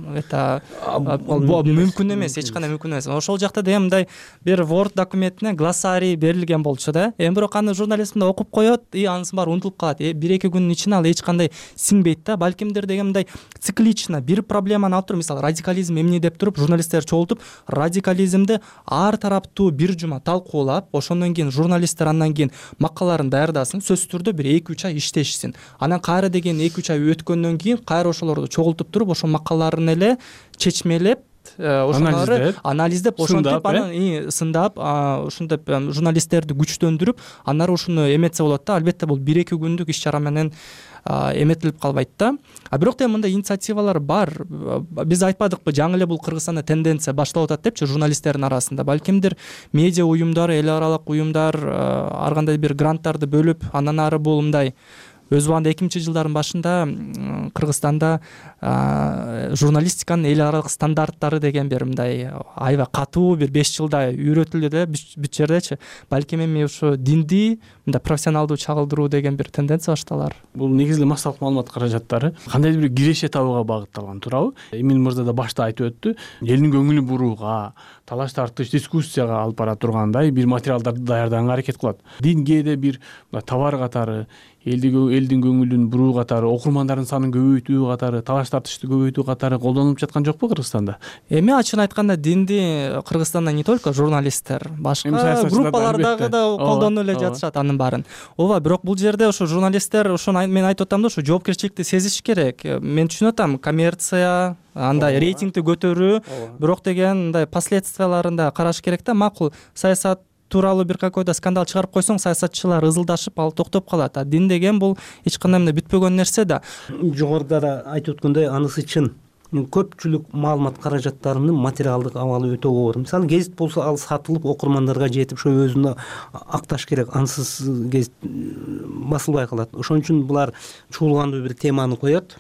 [SPEAKER 18] мүмкүн эмес, эч кандай мүмкүн эмес. Ошол жакта деген мындай бир Word документине глоссарий берилген болчу да. Бирок аны журналист мындай окуп коет, анысы баары унутулуп калат. 1-2 күндүн ичинде ал эч кандай сиңбейт да. Балкимдир деген мындай циклично бир проблеманы алып туруп, мисалы радикализм эмне деп туруп, журналисттер чогултуп, радикализмди ар тараптуу бир жума талкуулап, ошондон кийин журналисттер андан кийин макалаларын даярдасын, сөзсүз түрдө бир 2-3 ай иштешсин. Анан кайра деген 2-3 ай өткөндөн кийин кайра ошолорду чогултуп туруп, ошол макалаларын эле чечмелеп, ошолорду анализдеп, ошентип анан сындап, ушинтип журналисттерди күчтөндүрүп, анары ушуну эметсе болот да. Албетте бул 1-2 күндүк иш-чара менен эметилип калбайт да. Бирок да мындай инициативалар бар. Биз айтпадыкпы, жаңы эле бул Кыргызстанда тенденция башталып атат депчи журналисттердин арасында. Балкимдир медиа уюмдар, эл аралык уюмдар ар кандай бир гранттарды бөлүп, андан ары бул мындай өз убагында 2000-жылдардын башында Кыргызстанда журналистиканын эл аралык стандарттары деген бир мындай аябай катуу бир 5 жылда үйрөтүлдү да бүт жердечи. Балким эми ушу динди мындай профессионалдуу чагылдыруу деген бир тенденция башталар.
[SPEAKER 20] Бул негизги массалык маалымат каражаттары кандайдыр бир киреше табууга багытталган, туурабы? Эмин мырза да башта айтып өттү. Элдин көңүлүн бурууга, талаш тартыш, дискуссияга алып бара тургандай бир материалдарды даярдаганга аракет кылат. Дин кээде бир товар катары, элдин көңүлүн буруу катары, окурмандардын санын көбөйтүү катары, талаш тартышты көбөйтүү катары колдонулуп жаткан жокпу Кыргызстанда?
[SPEAKER 18] Эми ачыгын айтканда динди Кыргызстанда не только журналисттер, башка группалардагы да колдонуп эле жатышат анын баарын. Ооба, бирок бул жерде ошо журналисттер, ошону мен айтып атам да, ошо жоопкерчиликти сезиш керек. Мен түшүнүп атам, коммерция, андай рейтингди көтөрүү, бирок деген мындай последствияларын да караш керек да. Макул, саясат тууралуу бир какой-то скандал чыгарып койсоң, саясатчылар ызылдашып, ал токтоп калат. Дин деген бул эч кандай мындай бүтпөгөн нерсе да.
[SPEAKER 19] Жогоруда да айтып өткөндөй, анысы чын. Көпчүлүк маалымат каражаттарынын материалдык абалы өтө оор. Мисалы гезит болсо, ал сатылып окурмандарга жетип, ошо өзүнө акташ керек. Ансыз гезит басылбай калат. Ошон үчүн булар чуулгандуу бир теманы коет.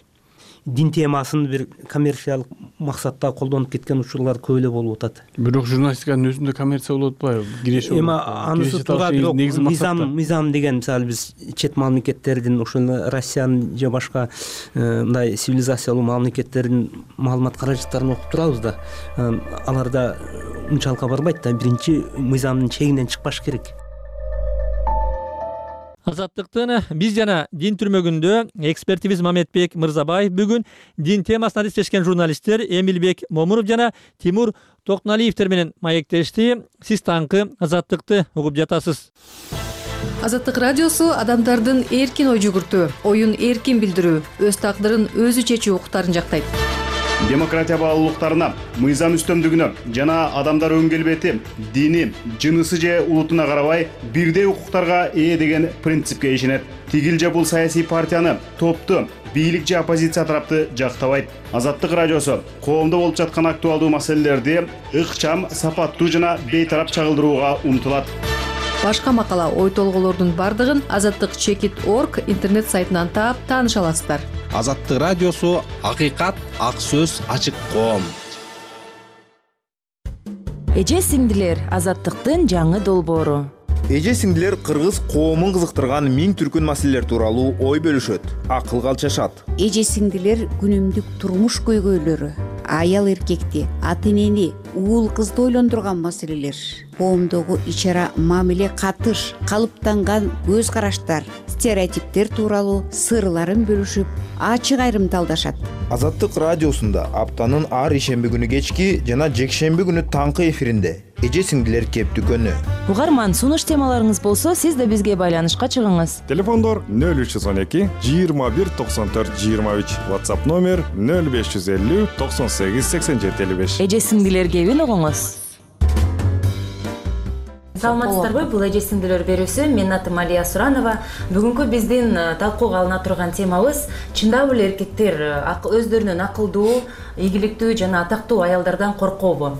[SPEAKER 19] Дин темасын бир коммерциялык максатта колдонуп кеткен учурлар көп эле болуп атат.
[SPEAKER 20] Бирок журналистиканын өзүндө коммерция болуп атпайбы? Киреше болуп.
[SPEAKER 19] Эми анысы туура, бирок мыйзам деген, мисалы биз чет мамлекеттердин, ошол Россиянын же башка мындай цивилизациялуу мамлекеттердин маалымат каражаттарын окуп турабыз да. Аларда унчалыкка барбайт да. Биринчи мыйзамдын чегинен чыкпаш керек.
[SPEAKER 1] Азаттыктын биз жана дин түрмөгүндө экспертибиз Мамедбек Мырзабаев бүгүн дин темасына адистешкен журналисттер Эмилбек Момунов жана Тимур Токуналиевтер менен маектешти. Сиз таңкы Азаттыкты угуп жатасыз.
[SPEAKER 21] Азаттык радиосу адамдардын эркин ой жүгүртүү, оюн эркин билдирүү, өз тагдырын өзү чечүү укуктарын жактайт.
[SPEAKER 12] Демократия баалуулуктарына, мыйзам үстөмдүгүнө жана адамдар өң келбети, дини, жынысы же улутуна карабай бирдей укуктарга ээ деген принципке ишенет. Тигил же бул саясий партияны, топту, бийлик же оппозиция тарапты жактабайт. Азаттык радиосу коомдо болуп жаткан актуалдуу маселелерди ыкчам, сапаттуу жана бейтарап чагылдырууга умтулат.
[SPEAKER 21] Башка макала, ой толголордун бардыгын azattik.org интернет сайтынан таап тааныша аласыздар.
[SPEAKER 22] Азаттык радиосу акыйкат, ак сөз, ачык коом.
[SPEAKER 3] Эже сиңдилер азаттыктын жаңы долбоору.
[SPEAKER 22] Эже сиңдилер кыргыз коомун кызыктырган миң түркүн маселелер тууралуу ой бөлүшөт, акылга алчашат.
[SPEAKER 23] Эже сиңдилер күнүмдүк турмуш көйгөйлөрү, аял эркекти, ата энени, уул кызды ойлондурган маселелер, коомдогу ич ара мамиле катыш, калыптанган көз караштар, стереотиптер тууралуу сырларын бөлүшүп, ачык айрымталдашат.
[SPEAKER 22] Азаттык радиосунда аптанын ар ишемби күнү кечки жана жекшемби күнү таңкы эфиринде эже сиңдилер кептүкөнү.
[SPEAKER 3] Угарман, сунуш темаларыңыз болсо, сиз да бизге байланышка чыгыңыз.
[SPEAKER 24] Телефондор 0312 21 94 23, WhatsApp номер 0550 98 87 55.
[SPEAKER 3] Эже сиңдилер кебин угуңуз.
[SPEAKER 25] Саламатсыздарбы? Бул эже сиңдилер берүүсү. Менин атым Алия Суранова. Бүгүнкү биздин талкууга алына турган темабыз чындап эле эркектер өздөрүнүн акылдуу, ийгиликтүү жана атактуу аялдардан коркобу?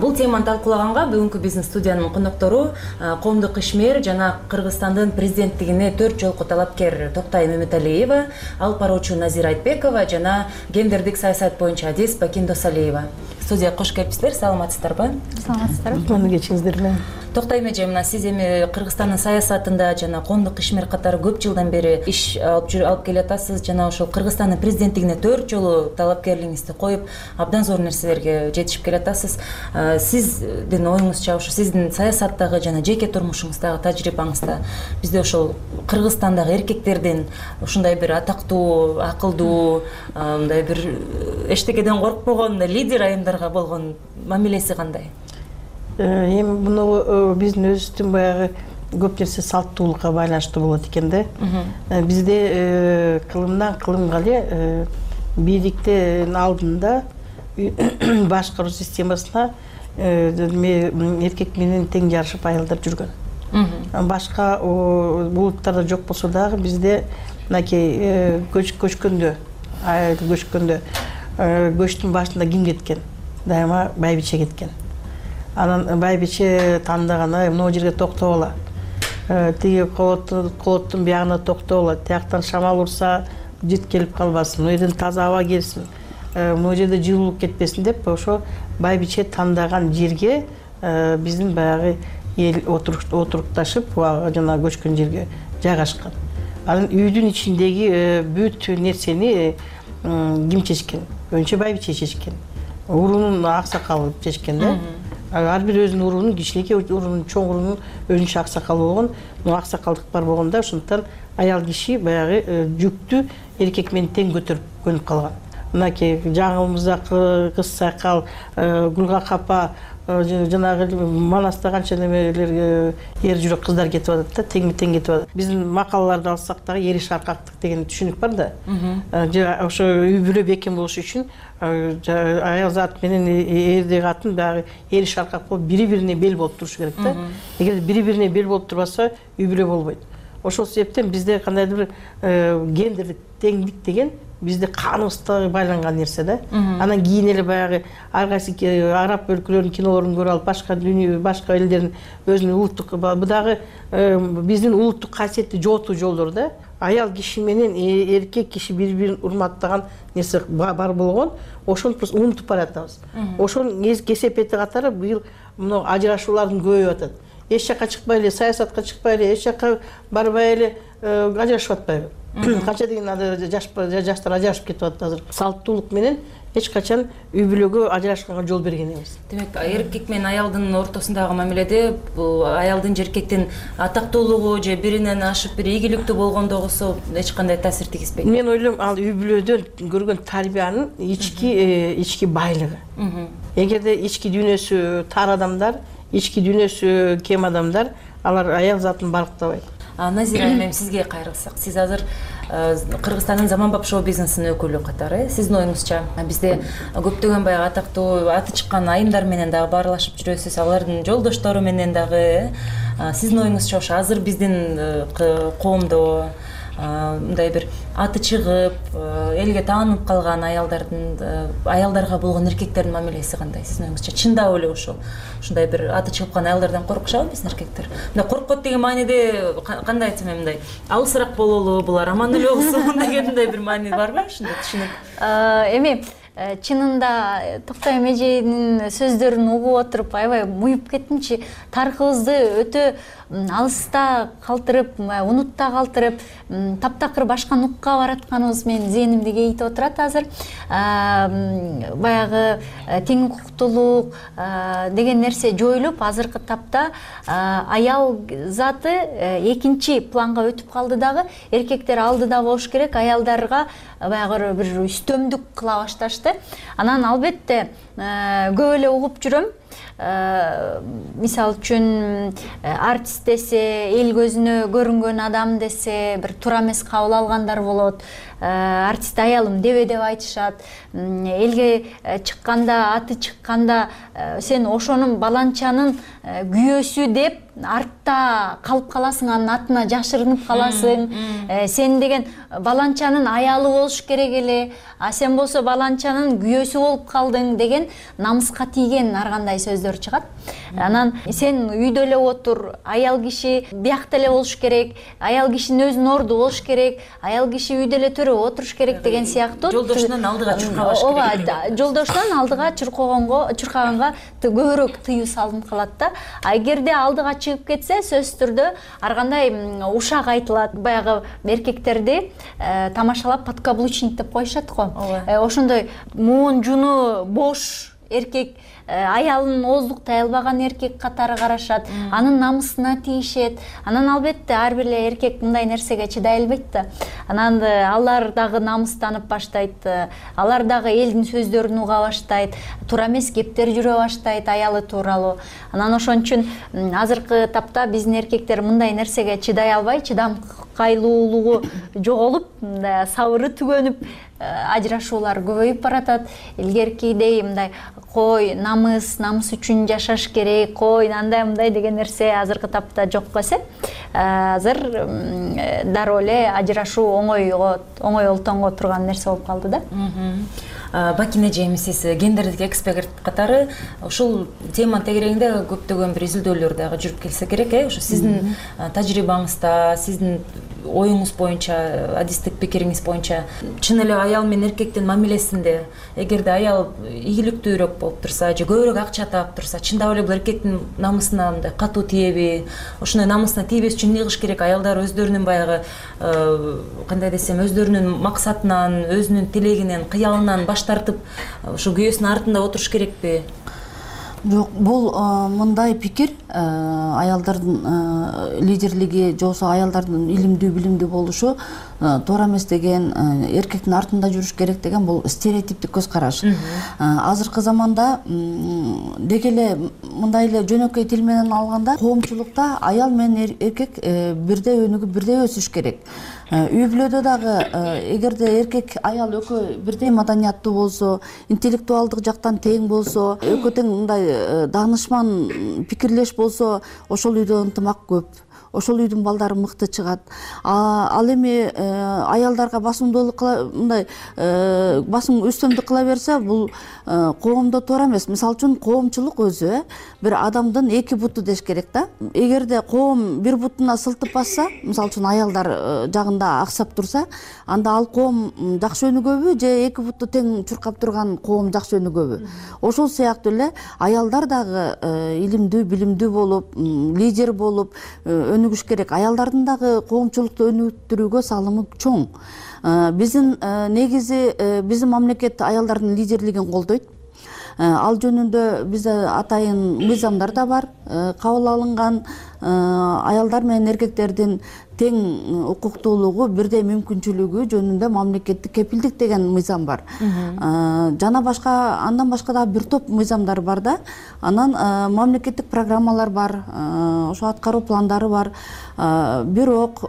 [SPEAKER 25] Бул теманы талкуулаганга бүгүнкү биздин студиянын коноктору коомдук ишмер жана Кыргызстандын президенттигине 4 жолку талапкер Токтай Мөмөталиева, алып баруучу Назира Айтбекова жана гендердик саясат боюнча адис Бакин Досалиева. Студияга кош келипсиздер. Саламатсыздарбы?
[SPEAKER 26] Саламатсыздарбы. Муну кечиңиздер менен.
[SPEAKER 25] Токтай эже, мына сиз эми Кыргызстандын саясатында жана коомдук ишмер катары көп жылдан бери иш алып келатасыз жана ошол Кыргызстандын президенттигине 4 жолу талапкерлигиңизди коюп, абдан зор нерселерге жетишип келатасыз. Сиздин оюңузча, ошо сиздин саясаттагы жана жеке турмушуңуздагы тажрыйбаңызда бизде ошол Кыргызстандагы эркектердин ушундай бир атактуу, акылдуу, мындай бир эчтекеден коркпогон лидер айымдарга болгон мамилеси кандай?
[SPEAKER 26] Эми муну биздин өзүбүздүн баягы көп нерсе салттуулукка байланыштуу болот экен да. Бизде кылымдан кылымга эле бийликтин алдында башкаруу системасына эркек менен тең жарышып аялдар жүргөн. Башка улуттарда жок болсо дагы бизде мынакей көчкөндө, айыл көчкөндө көчтүн башында ким кеткен? Дайыма байбиче кеткен. Анан байбиче тандаган, мына жерге токтогула. Тиги колоттун биягына токтогула. Тияктан шамал урса, жит келип калбасын. Мына жерден таза аба келсин. Мына жерде жылуулук кетпесин деп, ошо байбиче тандаган жерге биздин баягы эл отурукташып, жана көчкөн жерге жайгашкан. Анан үйдүн ичиндеги бүт нерсени ким чечкен? Önce байбиче чечкен. Урунун аксакалы чечкен да. Ар бир өзүнүн урунун, кичинекей урунун, чоң урунун өзүнчө аксакалы болгон, мына аксакалдык бар болгондо ошондуктан аял киши баягы жүктү эркек менен тең көтөрүп көнүп калган. Мынакей жаңылымызда кыз сакал, гүлга капа, жанагы Манаста канча немелер эр жүрөк кыздар кетип атат да, тең-тең кетип атат. Биздин макалаларды алсак дагы эр шаркактык деген түшүнүк бар да. Ошо үй бүлө бекем болуш үчүн аял зат менен эрдеги катын дагы эр шаркак болуп бири-бирине бел болуп турушу керек да. Эгер бири-бирине бел болуп турбаса, үй бүлө болбойт. Ошол себептен бизде кандайдыр бир гендердик теңдик деген бизде каныбызда байланган нерсе да. Анан кийин эле баягы ар кайсы араб өлкөлөрүнүн кинолорун көрүп алып, башка дүйнө, башка элдердин өзүнүн улуттук, бу дагы биздин улуттук касиетти жоготуу жолдору да. Аял киши менен эркек киши бири-бирин урматтаган нерсе бар болгон, ошону просто унутуп баратабыз. Ошонун кесепети катары быйыл мына ажырашуулардын көбөйүп атат. Эч жакка чыкпай эле, саясатка чыкпай эле, эч жакка барбай эле ажырашып атпайбы? Канча деген жаштар ажырашып кетип атат азыр. Салттуулук менен эч качан үй бүлөгө ажырашканга жол берген эмес.
[SPEAKER 25] Демек, эркек менен аялдын ортосундагы мамиледе бул аялдын же эркектин атактуулугу же биринен ашып бир ийгиликтүү болгондугусу эч кандай таасир тийгизбейт.
[SPEAKER 26] Мен ойлойм, ал үй бүлөдөн көргөн тарбиянын ички байлыгы. Эгерде ички дүйнөсү тар адамдар, ички дүйнөсү кем адамдар, алар аял затын балыктабайт.
[SPEAKER 25] Назира эми сизге кайрылсак, сиз азыр Кыргызстандын заманбап шоу бизнесинин өкүлү катары, сиздин оюңузча бизде көптөгөн баягы атактуу, аты чыккан айымдар менен дагы баарлашып жүрөсүз, алардын жолдоштору менен дагы. Сиздин оюңузча ошо азыр биздин коомдо мындай бир аты чыгып, элге таанып калган аялдарга болгон эркектердин мамилеси кандай сиздин оюңузча? Чындап эле ушундай бир аты чыгып калган аялдардан коркушабы биздин эркектер? Мындай коркот деген мааниде кандай айтсам эми, мындай алысыраак бололу, булар аман эле болсун дегендей бир маани барбы ушундай түшүнүк?
[SPEAKER 27] Эми
[SPEAKER 4] чынында Токтой Эмежейдин сөздөрүн угуп отуруп аябай муюп кеттимчи. Тарыхыбызды өтө алыста калтырып, унутта калтырып, таптакыр башка нукка баратканыбыз менин зээнимди кейитип отурат азыр. Баягы тең укуктуулук деген нерсе жоюлуп, азыркы тапта аял заты экинчи планга өтүп калды дагы. Эркектер алдыда болуш керек, аялдарга баягы бир үстөмдүк кыла башташты. Анан албетте көп эле угуп жүрөм. Мисалы үчүн артист десе, эл көзүнө көрүнгөн адам десе, бир туура эмес кабыл алгандар болот. Артист аялым деп айтышат. Элге чыкканда, аты чыкканда сен ошонун баланчанын күйөөсү деп артта калып каласың, анын атына жашырынып каласың. Сен деген баланчанын аялы болуш керек эле, а сен болсо баланчанын күйөөсү болуп калдың деген намыска тийген ар кандай сөздөр чыгат. Анан сен үйдө эле отур, аял киши биякта эле болуш керек, аял кишинин өзүнүн орду болуш керек, аял киши үйдө эле төрө отуруш керек деген сыяктуу.
[SPEAKER 25] Жолдошунан алдыга чуркабаш керек.
[SPEAKER 4] Ооба, жолдошунан алдыга чуркаганга көбүрөөк тыюу салынып калат да. А эгерде алдыга чыгып кетсе, сөзсүз түрдө ар кандай ушак айтылат. Баягы эркектерди тамашалап подкаблучник деп коюшат го. Ошондой муун жуну бош эркек, аялын ооздуктай албаган эркек катары карашат, анын намысына тийишет. Анан албетте ар бир эле эркек мындай нерсеге чыдай албайт да. Анан алар дагы намыстанып баштайт, алар дагы элдин сөздөрүн уга баштайт, туура эмес кептер жүрө баштайт аялы тууралуу. Анан ошон үчүн азыркы тапта биздин эркектер мындай нерсеге чыдай албай, чыдамкайлуулугу жоголуп, сабыры түгөнүп, ажырашуулар көбөйүп баратат. Илгеркидей мындай кой намыс үчүн жашаш керек, кой андай мындай деген нерсе азыркы тапта жок эсе. Азыр дароо эле ажырашуу оңой олтонго турган нерсе болуп калды да.
[SPEAKER 25] Бакин эжем, сиз гендердик эксперт катары ушул тема тегерегинде көптөгөн бир изилдөөлөр дагы жүрүп келсе керек, ошо сиздин тажрыйбаңызда, сиздин оюңуз боюнча, адистик пикириңиз боюнча чын эле аял менен эркектин мамилесинде эгерде аял ийгиликтүүрөөк болуп турса же көбүрөөк акча таап турса, чындап эле бул эркектин намысына мындай катуу тиеби? Ошондой намысына тийбеш үчүн эмне кылыш керек? Аялдар өздөрүнүн баягы кандай десем, өздөрүнүн максатынан, өзүнүн тилегинен, кыялынан баш тартып, ушу күйөөсүнүн артында отуруш керекпи?
[SPEAKER 6] Жок, бул мындай пикир, аялдардын лидерлиги же болбосо аялдардын илимдүү, билимдүү болушу туура эмес деген, эркектин артында жүрүш керек деген бул стереотиптик көз караш. Азыркы заманда деги эле мындай эле жөнөкөй тил менен алганда, коомчулукта аял менен эркек бирдей өнүгүп, бирдей өсүш керек. Үй бүлөдө дагы эгерде эркек аял экөө бирдей маданияттуу болсо, интеллектуалдык жактан тең болсо, экөө тең мындай даанышман пикирлеш болсо, ошол үйдө ынтымак көп, ошол үйдүн балдары мыкты чыгат. Ал эми аялдарга басымдуулук мындай басым үстөмдүк кыла берсе, бул коомдо туура эмес. Мисалы үчүн коомчулук өзү бир адамдын эки буту деш керек да. Эгерде коом бир бутуна сылтып басса, мисалы үчүн аялдар жагында аксап турса, анда ал коом жакшы өнүгөбү же эки буту тең чуркап турган коом жакшы өнүгөбү? Ошол сыяктуу эле аялдар дагы илимдүү, билимдүү болуп, лидер болуп өнүгүш керек. Аялдардын дагы коомчулукту өнүктүрүүгө салымы чоң. Биздин негизи биздин мамлекет аялдардын лидерлигин колдойт. Ал жөнүндө бизде атайын мыйзамдар да бар, кабыл алынган. Аялдар менен эркектердин тең укуктуулугу, бирдей мүмкүнчүлүгү жөнүндө мамлекеттик кепилдик деген мыйзам бар. Жана андан башка дагы бир топ мыйзамдар бар да. Анан мамлекеттик программалар бар, ошо аткаруу пландары бар. Бирок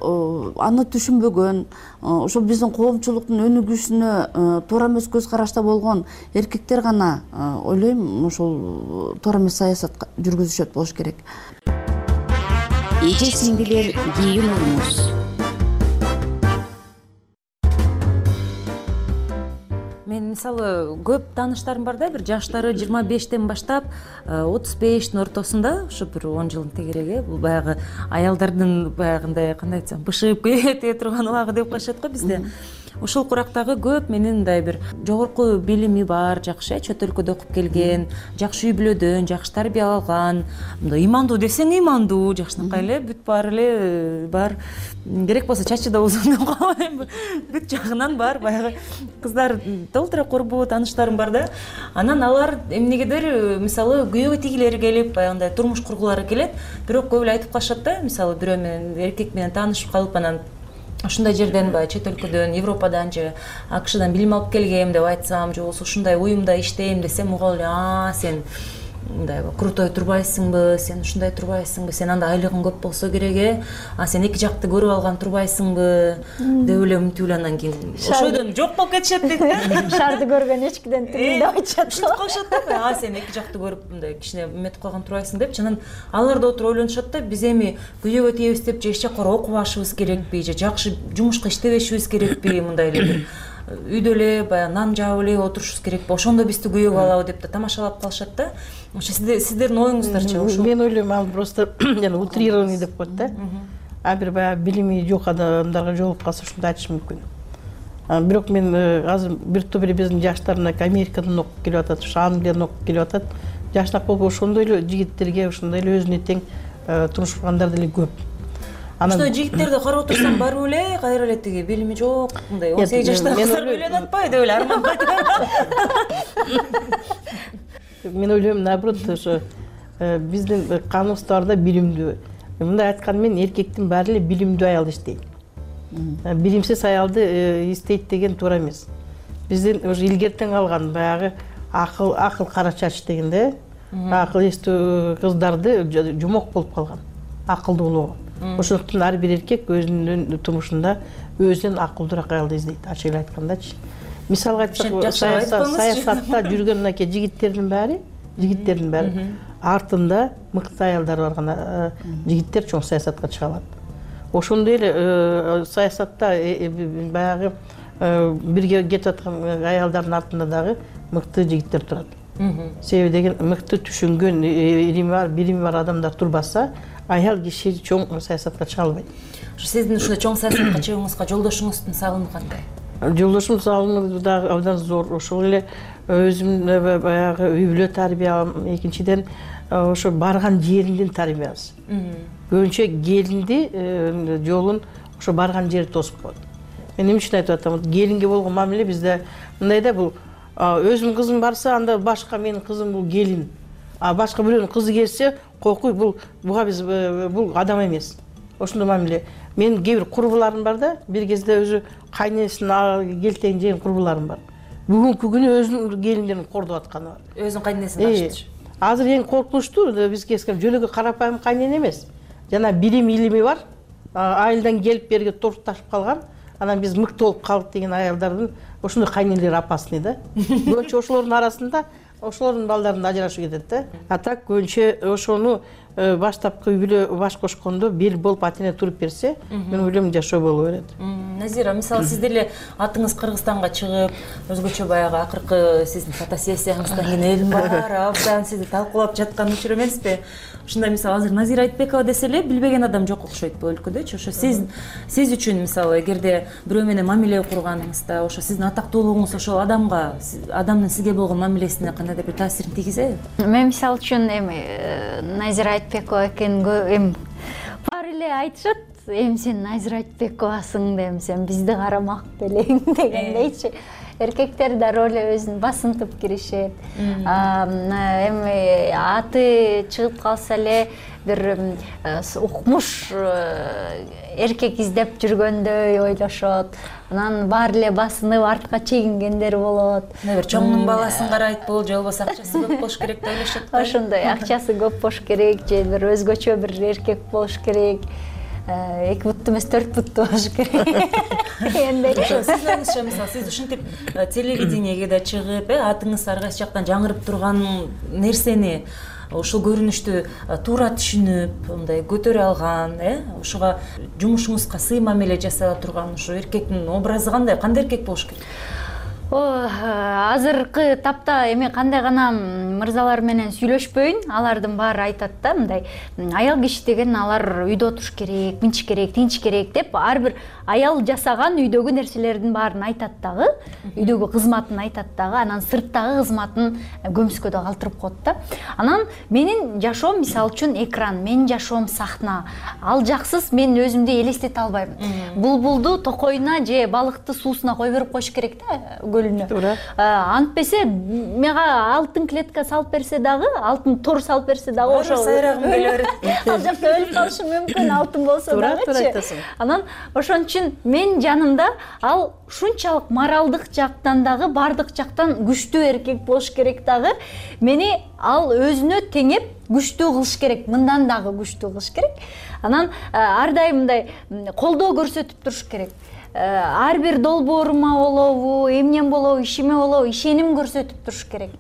[SPEAKER 6] аны түшүнбөгөн, ошо биздин коомчулуктун өнүгүшүнө туура эмес көз карашта болгон эркектер гана ойлойм ошол туура эмес саясат жүргүзүшөт болуш керек.
[SPEAKER 23] Эже сиңдилер, кийин уруңуз.
[SPEAKER 25] Мен мисалы көп тааныштарым бар да, бир жаштары 25тен баштап 35тин ортосунда, ушу бир 10 жылдын тегереги, бул баягы аялдардын баягындай кандай айтсам, бышыгып кете турган убагы деп коюшат го бизде. ушул курактагы көп менин мындай бир жогорку билими бар, жакшы чөт өлкөдө окуп келген, жакшы үй бүлөдөн, жакшы тарбия алган, мындай ыймандуу десең ыймандуу, жакшынакай эле бүт баары эле бар. Керек болсо чачы да узун деп коеюн. Бүт жагынан бар, баягы кыздар толтура курбу тааныштарым бар да. Анан алар эмнегедир мисалы күйөөгө тигилери келип, баягындай турмуш кургулары келет. Бирок көп эле айтып калышат да, мисалы бирөө менен эркек менен таанышып калып анан ушундай жерден баягы чет өлкөдөн, Европадан же АКШдан билим алып келгем деп айтсам, же болбосо ушундай уюмда иштейм десем, угал эле, сен мындай крутой турбайсыңбы, сен ушундай турбайсыңбы, сен анда айлыгың көп болсо керек, сен эки жакты көрүп алган турбайсыңбы деп эле умтуп эле анан кийин ошойдон жок болуп кетишет дейт да.
[SPEAKER 4] Шарды көргөн эчкиден тилиң деп айтышат.
[SPEAKER 25] Ушинтип калышат да, сен эки жакты көрүп мындай кичине эметип калган турбайсың депчи. Анан алар да отуруп ойлонушат да, биз эми күйөөгө тийебиз деп же эч жакка окубашыбыз керекпи, же жакшы жумушка иштебешибиз керекпи, мындай эле бир үйдө эле баягы нан жаап эле отурушубуз керекпи, ошондо бизди күйөөгө алабы деп да тамашалап калышат да. Ошо сиздердин оюңуздарчы ошо?
[SPEAKER 26] Мен ойлойм, ал просто жана утрированный деп коет да. Бир баягы билими жок адамдарга жолугуп калса ушундай айтышы мүмкүн. Бирок мен азыр бир топ эле биздин жаштар Америкадан окуп келип атат, ушу Англиядан окуп келип атат. Жашнак болуп ошондой эле жигиттерге, ошондой эле өзүнө тең турмуш кургандар деле көп.
[SPEAKER 25] Ошондой жигиттерди карап отурсам барбы эле кайра эле тиги билими жок, мындай 18 жаштагы кыздар үйлөнүп атпайбы деп эле армандап
[SPEAKER 26] Мен ойлойм, наоборот, ошо биздин каныбызда билимдүү. Мындай айтканда мен эркектин баары эле билимдүү аялды иштейт. Билимсиз аялды издейт деген туура эмес. Биздин уже илгертен калган баягы акыл кара чач деген да, акыл эстүү кыздарды жомок болуп калган, акылдуу болгон. Ошондуктан ар бир эркек өзүнүн турмушунда өзүнөн акылдуураак аялды издейт, ачык эле айткандачы. Мисалга айтсак, саясатта жүргөн мынакей жигиттердин баары артында мыкты аялдар барган жигиттер чоң саясатка чыга алат. Ошондой эле саясатта баягы бирге кетип аткан аялдардын артында дагы мыкты жигиттер турат. Себеби деген мыкты түшүнгөн, билими бар адамдар турбаса, аял киши чоң саясатка чыга албайт.
[SPEAKER 25] Сиздин ушундай чоң саясатка чыгууңузга жолдошуңуздун салымы кандай?
[SPEAKER 26] Жолдошум салымы дагы абдан зор. Ошол эле өзүм баягы үй бүлө тарбиям, экинчиден ошо барган жериндин тарбиясы. Көбүнчө келинди жолун ошо барган жери тосуп коет. Мен эмне үчүн айтып атам? Келинге болгон мамиле бизде мындай да, бул өзүмдүн кызым барса, анда башка менин кызым бул келин. Башка бирөөнүн кызы келсе, кокуй, буга биз бул адам эмес. Ошондой мамиле. Мен кээ бир курбуларым бар да, бир кезде өзү кайнесин келтейин деген курбуларым бар. Бүгүнкү күнү өзүнүн келиндерин кордоп атканы бар.
[SPEAKER 25] Өзүнүн кайнесин баштычы.
[SPEAKER 26] Азыр эң коркунучтуу бизге жөнөкөй карапайым кайнене эмес. Жана илими бар. Айылдан келип берге торташып калган. Анан биз мыкты болуп калдык деген аялдардын ошондой кайнелери опасный да. Көбүнчө ошолордун арасында ошолордун балдарынан ажырашып кетет да. А так көбүнчө ошону баштапкы үй бүлө баш кошкондо бел болуп ата-эне туруп берсе, мен ойлойм жашоо боло берет.
[SPEAKER 25] Назира, мисалы сиз деле атыңыз Кыргызстанга чыгып, өзгөчө баягы акыркы сиздин фотосессияңыздан кийин элдин баары абдан сизди талкуулап жаткан учур эмеспи? Ушундай мисалы азыр Назира Айтбекова десе эле билбеген адам жок окшойт бул өлкөдөчү. Ошо сиз үчүн мисалы эгерде бирөө менен мамиле курганыңызда, ошо сиздин атактуулугуңуз ошол адамдын сизге болгон мамилесине кандайдыр бир таасирин тийгизеби?
[SPEAKER 4] Мен мисалы үчүн эми Назира Айтбекова экен эми баары эле айтышат, эми сен Назира Айтбековасың деп, сен бизди карамак белең дегендейчи. Эркектер дароо эле өзүн басынтып киришет. Эми аты чыгып калса эле бир укмуш эркек издеп жүргөндөй ойлошот. Анан баары эле басынып артка чегингендер болот.
[SPEAKER 25] Бир чоңдун баласын карайт бул, же болбосо акчасы көп болуш керек деп ойлошот.
[SPEAKER 4] Ошондой акчасы көп болуш керек, же бир өзгөчө бир эркек болуш керек. 2 буттуу эмес 4 буттуу болуш керек.
[SPEAKER 25] Сиздин оюңузча, мисалы сиз ушинтип телевидениеге да чыгып, атыңыз ар кайсы жактан жаңырып турган нерсени, ушул көрүнүштү туура түшүнүп, мындай көтөрө алган, ошого жумушуңузга сый мамиле жасала турган ушу эркектин образы кандай эркек болуш керек?
[SPEAKER 4] Азыркы тапта эми кандай гана мырзалар менен сүйлөшпөйүн, алардын баары айтат да, мындай аял киши деген алар үйдө отуруш керек, мынчы керек, тинч керек деп ар бир аял жасаган үйдөгү нерселердин баарын айтат дагы, үйдөгү кызматын айтат дагы, анан сырттагы кызматын көмүскөдө калтырып коет да. Анан менин жашоом мисалы үчүн экран, менин жашоом сахна. Ал жаксыз мен өзүмдү элестете албайм. Булбулду токойуна же балыкты суусуна кой берип коюш керек да, көлүнө. Антпесе мага алтын клетка салып берсе дагы, алтын тор салып берсе дагы ошо
[SPEAKER 25] сайрагым келе берет.
[SPEAKER 4] Ал жакта өлүп калышым мүмкүн, алтын болсо дагычы. Анан ошон үчүн мен жанымда ал ушунчалык моралдык жактан дагы, бардык жактан күчтүү эркек болуш керек дагы. Мени ал өзүнө теңеп күчтүү кылыш керек, мындан дагы күчтүү кылыш керек. Анан ар дайым мындай колдоо көрсөтүп туруш керек. Ар бир долбоорума болобу, эмнем болобу, ишиме болобу ишеним көрсөтүп туруш керек.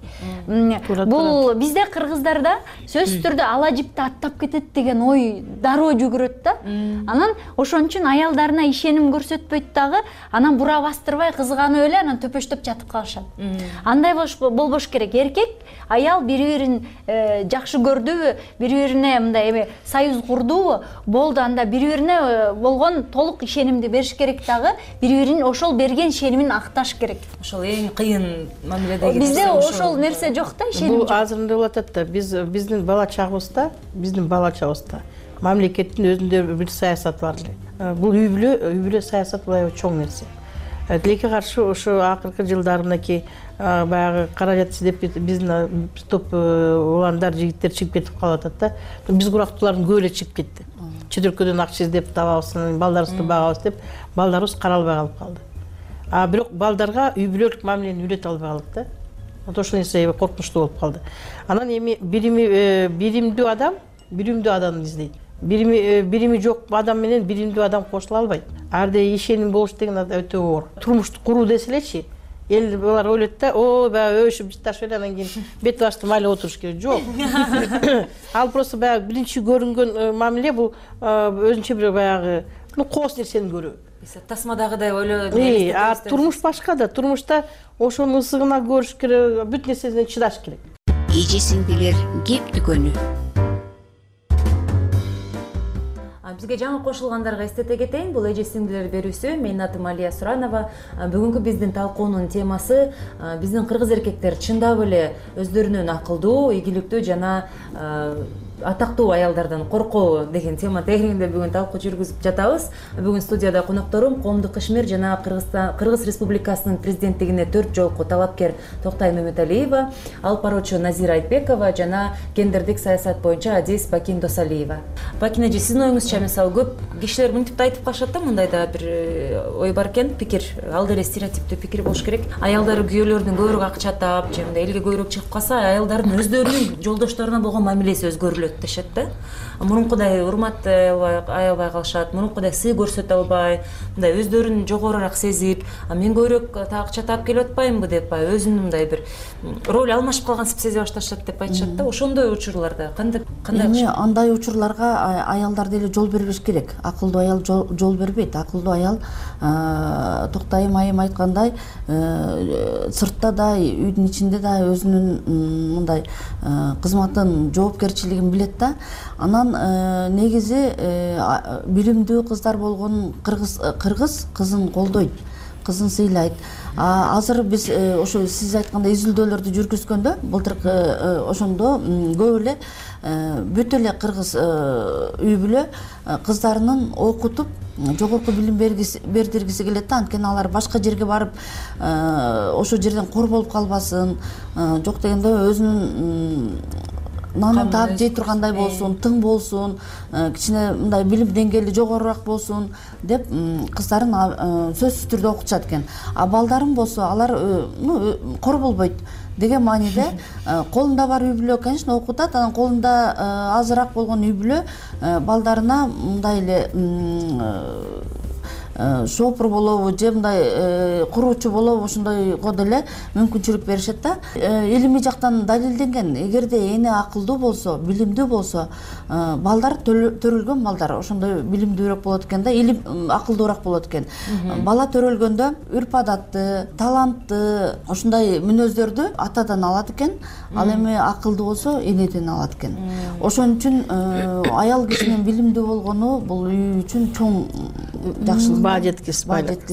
[SPEAKER 4] Бул бизде кыргыздарда сөзсүз түрдө ала жипти аттап кетет деген ой дароо жүгүрөт да. Анан ошон үчүн аялдарына ишеним көрсөтпөйт дагы, анан бура бастырбай кызганып эле анан төпөштөп жатып калышат. Андай болбош керек. Эркек, аял бири-бирин жакшы көрдүбү, бири-бирине мындай эме союз курдубу, болду, анда бири-бирине болгон толук ишенимди бериш керек дагы. Бири-бирин ошол берген ишенимин акташ керек.
[SPEAKER 25] Ошол эң кыйын мамиледеги.
[SPEAKER 4] Бизде ошол нерсе жок да, ишеним жок.
[SPEAKER 26] Бул азыр мындай болуп атат да, биздин бала чагыбызда мамлекеттин өзүндө бир саясаты бар эле. Бул үй бүлө саясаты баягы чоң нерсе. Тилекке каршы ошо акыркы жылдары мынакей баягы каражат издеп биздин топ уландар, жигиттер чыгып кетип калып атат да. Биз курактуулардын көбү эле чыгып кетти. Чөтөркөдөн акча издеп табабыз, балдарыбызды багабыз деп, балдарыбыз каралбай калып калды. Бирок балдарга үй бүлөлүк мамилени үйрөтө албай калдык да. Ошол нерсе коркунучтуу болуп калды. Анан эми биримдүү адамды издейт. Бирими жок адам менен биримдүү адам кошула албайт. Арда ишеним болуш деген өтө оор. Турмушту куруу деселечи, эл булар ойлойт да, баягы өшүп жыташып эле анан кийин бет башты майлап отуруш керек. Жок. Ал просто баягы биринчи көрүнгөн мамиле бул өзүнчө бир баягы коос нерсени көрүү.
[SPEAKER 25] Тасмадагыдай ойлоо.
[SPEAKER 26] Турмуш башка да. Турмушта ошонун ысыгына көрүш керек, бүт нерсесине чыдаш керек.
[SPEAKER 23] Эже сиңдилер кеп дүкөнү.
[SPEAKER 25] Бизге жаңы кошулгандарга эстете кетейин, бул эже сиңдилер берүүсү. Менин атым Алия Суранова. Бүгүнкү биздин талкуунун темасы биздин кыргыз эркектер чындап эле өздөрүнүн акылдуу, ийгиликтүү жана атактуу аялдардан коркобу деген тема тегерегинде бүгүн талкуу жүргүзүп жатабыз. Бүгүн студияда конокторум Коомдук ишмер жана Кыргыз Республикасынын президенттигине 4 жолку талапкер Токтай Мөмөталиева, алып баруучу Назира Айтбекова жана гендердик саясат боюнча Адис Бакин Досалиева. Бакин эже, сиздин оюңузча, мисалы көп кишилер мынтип да айтып калышат да, мындай да бир ой бар экен, пикир, ал деле стереотиптүү пикир болуш керек. Аялдары күйөөлөрүнүн көбүрөөк акча таап, же мындай элге көбүрөөк чыгып калса, аялдардын өздөрүнүн жолдошторуна болгон мамилеси өзгөрүлөт дешет да. Мурункудай урмат аябай калышат, мурункудай сый көрсөтө албай, мындай өздөрүн жогорураак сезип, мен көбүрөөк акча таап келип атпаймынбы деп, өзүнүн мындай бир роль алмашып калгансып сезе башташат деп айтышат да. Ошондой учурларда кандай
[SPEAKER 6] эми андай учурларга аялдар деле жол бербеш керек. Акылдуу аял жол бербейт. Акылдуу аял Токтайым айым айткандай, сыртта да, үйдүн ичинде да өзүнүн мындай кызматын, жоопкерчилигин билет да. Анан негизи билимдүү кыздар болгон кыргыз кызын колдойт, кызын сыйлайт. Азыр биз ошо сиз айткандай изилдөөлөрдү жүргүзгөндө, былтыркы ошондо көп эле бүт эле кыргыз үй бүлө кыздарынын окутуп жогорку билим бердиргиси келет да. Анткени алар башка жерге барып ошол жерден кор болуп калбасын, жок дегенде өзүнүн нанын таап жей тургандай болсун, тың болсун, кичине мындай билим деңгээли жогорураак болсун деп кыздарын сөзсүз түрдө окутушат экен. Балдарым болсо алар кор болбойт деген мааниде колунда бар үй бүлө, конечно, окутат. Анан колунда азыраак болгон үй бүлө балдарына мындай эле шопур болобу же мындай куруучу болобу, ошондойго деле мүмкүнчүлүк беришет да. Илимий жактан далилденген, эгерде эне акылдуу болсо, билимдүү болсо, балдар төрөлгөн балдар ошондой билимдүүрөөк болот экен да, илим акылдуураак болот экен. Бала төрөлгөндө үрп адатты, талантты, ошондой мүнөздөрдү атадан алат экен, ал эми акылдуу болсо энеден алат экен. Ошон үчүн аял кишинин билимдүү болгону бул үй үчүн чоң жакшылык.
[SPEAKER 26] Баа жеткис.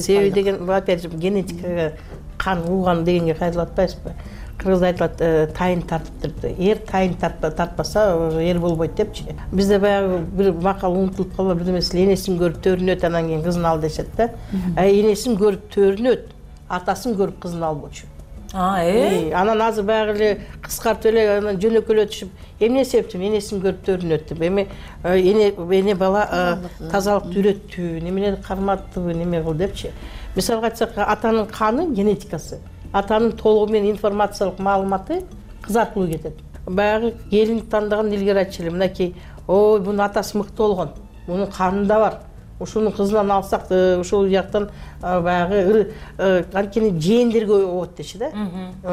[SPEAKER 26] Себеби деген опять же генетикага кан уган дегенге кайтып атпайсызбы? Кыргызда айтылат, тайын тартыптыр. Эр тайын тартпаса, эр болбойт депчи. Бизде баягы бир макал унутулуп калып, бир нерсе энесин көрүп төрүнөт, анан кийин кызын ал дешет да. Энесин көрүп төрүнөт, атасын көрүп кызын албочу. Анан азыр баягы эле кыскартып эле анан жөнөкөлөтүшүп, эмне себептен энесин көрүп төрүнөт деп. Эми эне бала тазалыкты үйрөттү, немелерди карматтыбы, неме кыл депчи. Мисалга айтсак, атанын каны, генетикасы, атанын толугу менен информациялык маалыматы кыз аркылуу кетет. Баягы келин тандаган илгери айтчу эле, мынакей, ой, бунун атасы мыкты болгон, мунун канында бар. Ушунун кызынан алсак, ушул жактан баягы анткени жээндерге оот деши да.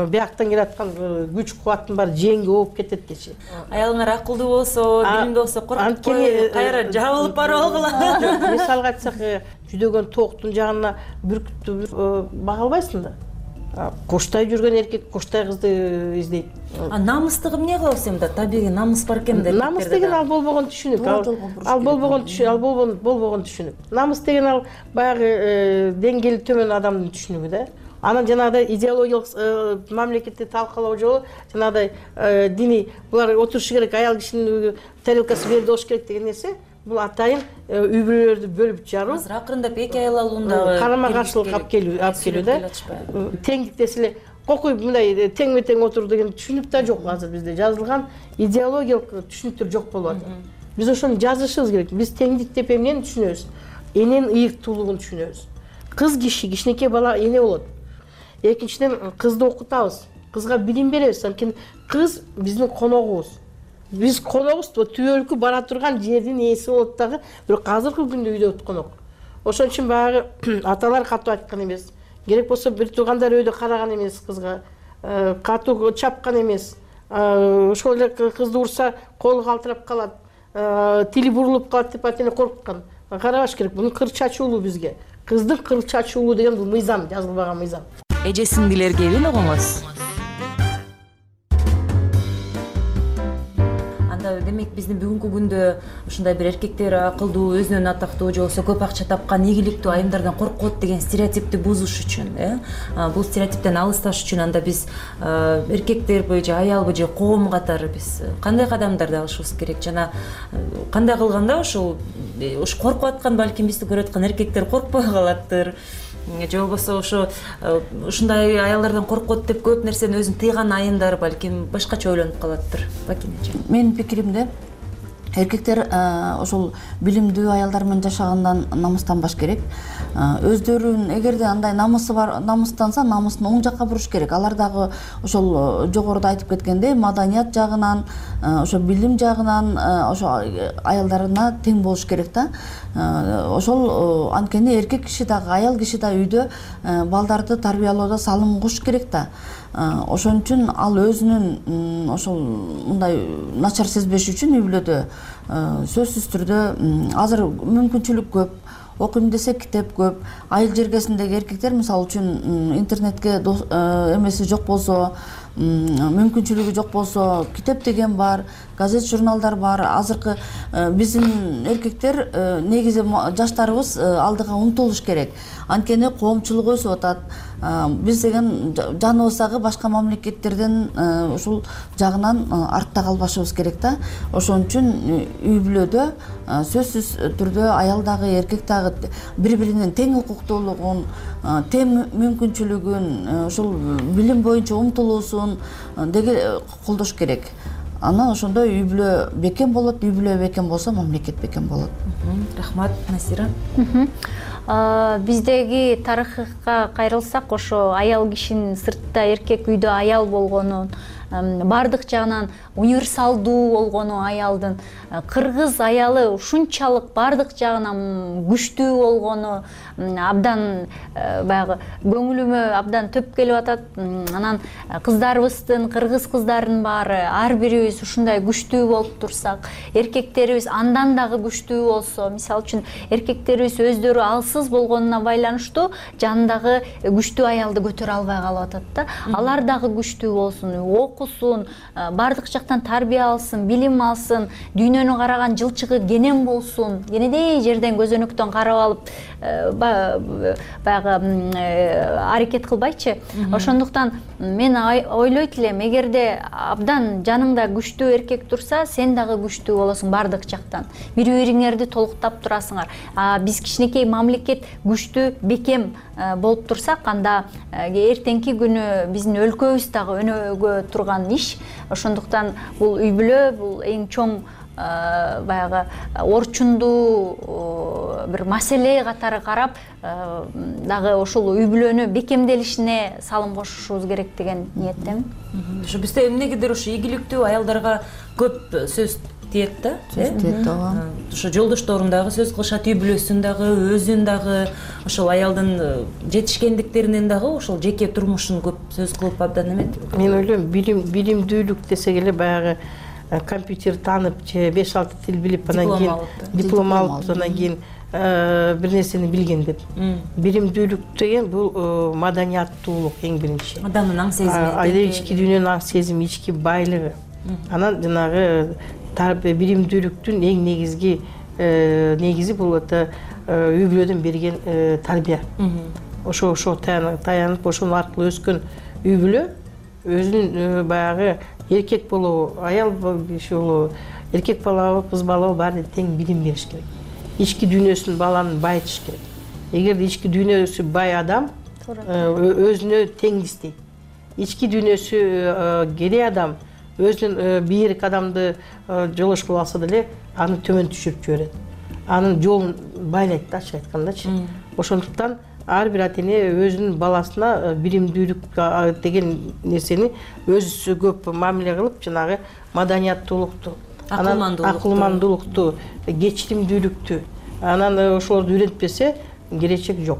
[SPEAKER 26] Бияктан келаткан күч кубаттын баары жээнге ооп кетет деши.
[SPEAKER 25] Аялыңар акылдуу болсо, билимдүү болсо, коркпой кайра жабылып барып алгыла.
[SPEAKER 26] Мисалга айтсак, жүдөгөн токтун жагына бүркүттү бага албайсың да. Коштой жүргөн эркек коштой кызды издейт.
[SPEAKER 25] Намыстыгы эмне кылабыз эми да? Табигый намыс бар экен да.
[SPEAKER 26] Намыс деген ал болбогон түшүнүк. Ал болбогон түшүнүк. Намыс деген ал баягы деңгээли төмөн адамдын түшүнүгү да. Анан жанагыдай идеологиялык мамлекетти талкалоо жолу жанагыдай диний булар отурушу керек, аял кишинин тарелкасы берде болуш керек деген нерсе. Бул атайын үй бүлөлөрдү бөлүп жаруу.
[SPEAKER 25] Азыр акырындап эки аял алуундагы
[SPEAKER 26] карама каршылык алып келүү да. Теңдик деселе, кокуй мындай теңме-тең отур деген түшүнүк да жок азыр бизде. Жазылган идеологиялык түшүнүктөр жок болуп атат. Биз ошону жазышыбыз керек. Биз теңдик деп эмнени түшүнөбүз? Эненин ыйыктуулугун түшүнөбүз. Кыз кичинекей бала эне болот. Экинчиден кызды окутабыз. Кызга билим беребиз. Анткени кыз биздин коногубуз. Биз коногубуз, түбөлүккө бара турган жердин ээси болот дагы, бирок азыркы күндө үйдө конок. Ошон үчүн баягы аталар катуу айткан эмес. Керек болсо бир туугандар өйдө караган эмес кызга, катуу чапкан эмес. Ошол эле кызды урса колу калтырап калат, тили бурулуп калат деп атене корккан. Карабаш керек, бунун кыр чачуулуу бизге. Кыздын кыр чачуулуу деген бул мыйзам, жазылбаган мыйзам.
[SPEAKER 3] Эжесин билергеби огоңоз?
[SPEAKER 25] Демек биздин бүгүнкү күндө ушундай бир эркектер акылдуу, өзүнөн атактуу же болбосо көп акча тапкан, ийгиликтүү айымдардан коркот деген стереотипти бузуш үчүн, бул стереотиптен алысташ үчүн анда биз эркектерби же аялбы же коом катары биз кандай кадамдарды алышыбыз керек? Жана кандай кылганда ушул коркуп аткан, балким бизди көрүп аткан эркектер коркпой калаттыр. Же болбосо ушундай аялдардан коркот деп көп нерсени өзүн тыйган айымдар балким башкача ойлонуп калаттыр. Бакинечи.
[SPEAKER 6] Менин пикиримде эркектер ошол билимдүү аялдар менен жашагандан намыстанбаш керек. Өздөрүн эгерде андай намысы бар, намыстанса, намысын оң жакка буруш керек. Алар дагы ошол жогоруда айтып кеткендей, маданият жагынан, ошо билим жагынан ошо аялдарына тең болуш керек да. Ошол анткени эркек киши дагы, аял киши да үйдө балдарды тарбиялоодо салым кошуш керек да. Ошон үчүн ал өзүнүн ошол мындай начар сезбеш үчүн үй бүлөдө сөзсүз түрдө азыр мүмкүнчүлүк көп, окуйм десе китеп көп. Айыл жергесиндеги эркектер мисалы үчүн интернетке эмеси жок болсо, мүмкүнчүлүгү жок болсо, китеп деген бар, газет журналдар бар. Азыркы биздин эркектер негизи жаштарыбыз алдыга умтулуш керек. Анткени коомчулук өсүп атат. Биз деген жаныбыз дагы башка мамлекеттерден ушул жагынан артта калбашыбыз керек да. Ошон үчүн үй бүлөдө сөзсүз түрдө аял дагы эркек дагы бири-биринин тең укуктуулугун, тең мүмкүнчүлүгүн, ушул билим боюнча умтулуусун колдош керек. Анан ошондо үй бүлө бекем болот, үй бүлө бекем болсо мамлекет бекем болот.
[SPEAKER 25] Рахмат, Насира.
[SPEAKER 4] Биздеги тарыхка кайрылсак, ошо аял кишинин сыртта эркек үйдө аял болгонун баардык жагынан универсалдуу болгону аялдын, кыргыз аялы ушунчалык баардык жагынан күчтүү болгону абдан баягы көңүлүмө абдан төп келип атат. Анан кыздарыбыздын, кыргыз кыздарынын баары ар бирибиз ушундай күчтүү болуп турсак, эркектерибиз андан дагы күчтүү болсо, мисалы үчүн эркектерибиз өздөрү алсыз болгонуна байланыштуу жанындагы күчтүү аялды көтөрө албай калып атат да. Алар дагы күчтүү болсун, окусун, баардык жактан тарбия алсын, билим алсын, дүйнөнү караган жылчыгы кенен болсун, кенедей жерден көзөнөктөн карап алып баягы аракет кылбайчы. Ошондуктан мен ойлойт элем, эгерде абдан жаныңда күчтүү эркек турса, сен дагы күчтүү болосуң баардык жактан. Бири-бириңерди толуктап турасыңар. Биз кичинекей мамлекет күчтүү, бекем болуп турсак, анда эртеңки күнү биздин өлкөбүз дагы өнөөгө турган иш. Ошондуктан бул үй бүлө, бул эң чоң баягы орчундуу бир маселе катары карап, дагы ошол үй бүлөнү бекемделишине салым кошушубуз керек деген ниеттемин.
[SPEAKER 25] Ошо бизде эмнегедир ушу ийгиликтүү аялдарга көп сөз тиет да, ошо жолдошторун дагы сөз кылышат, үй бүлөсүн дагы, өзүн дагы, ошол аялдын жетишкендиктеринен дагы ошол жеке турмушун көп сөз кылып абдан эметти.
[SPEAKER 26] Мен ойлойм, билимдүүлүк десек эле баягы компьютер таанып же 5-6 тил билип, анан кийин диплом алып, анан кийин бир нерсени билген деп. Билимдүүлүк деген бул маданияттуулук эң биринчи.
[SPEAKER 25] Адамдын аң сезими,
[SPEAKER 26] ички дүйнөнүн аң сезими, ички байлыгы. Анан жанагы билимдүүлүктүн эң негизи бул үй бүлөдөн берген тарбия. Ошо таянып, ошонун аркылуу өскөн үй бүлө өзүнүн баягы эркек болобу, аял киши болобу, эркек балабы, кыз балабы баары тең билим бериш керек. Ички дүйнөсүн баланын байытыш керек. Эгерде ички дүйнөсү бай адам өзүнө теңдистейт. Ички дүйнөсү кедей адам өзүнүн бийик адамды жолош кылып алса деле аны төмөн түшүрүп жиберет. Анын жолун байлайт да, ачык айткандачы. Ошондуктан ар бир ата эне өзүнүн баласына билимдүүлүк деген нерсени өзү көп мамиле кылып, жанагы маданияттуулукту, акылмандуулукту, кечиримдүүлүктү, анан ошолорду үйрөнтпесе келечек жок.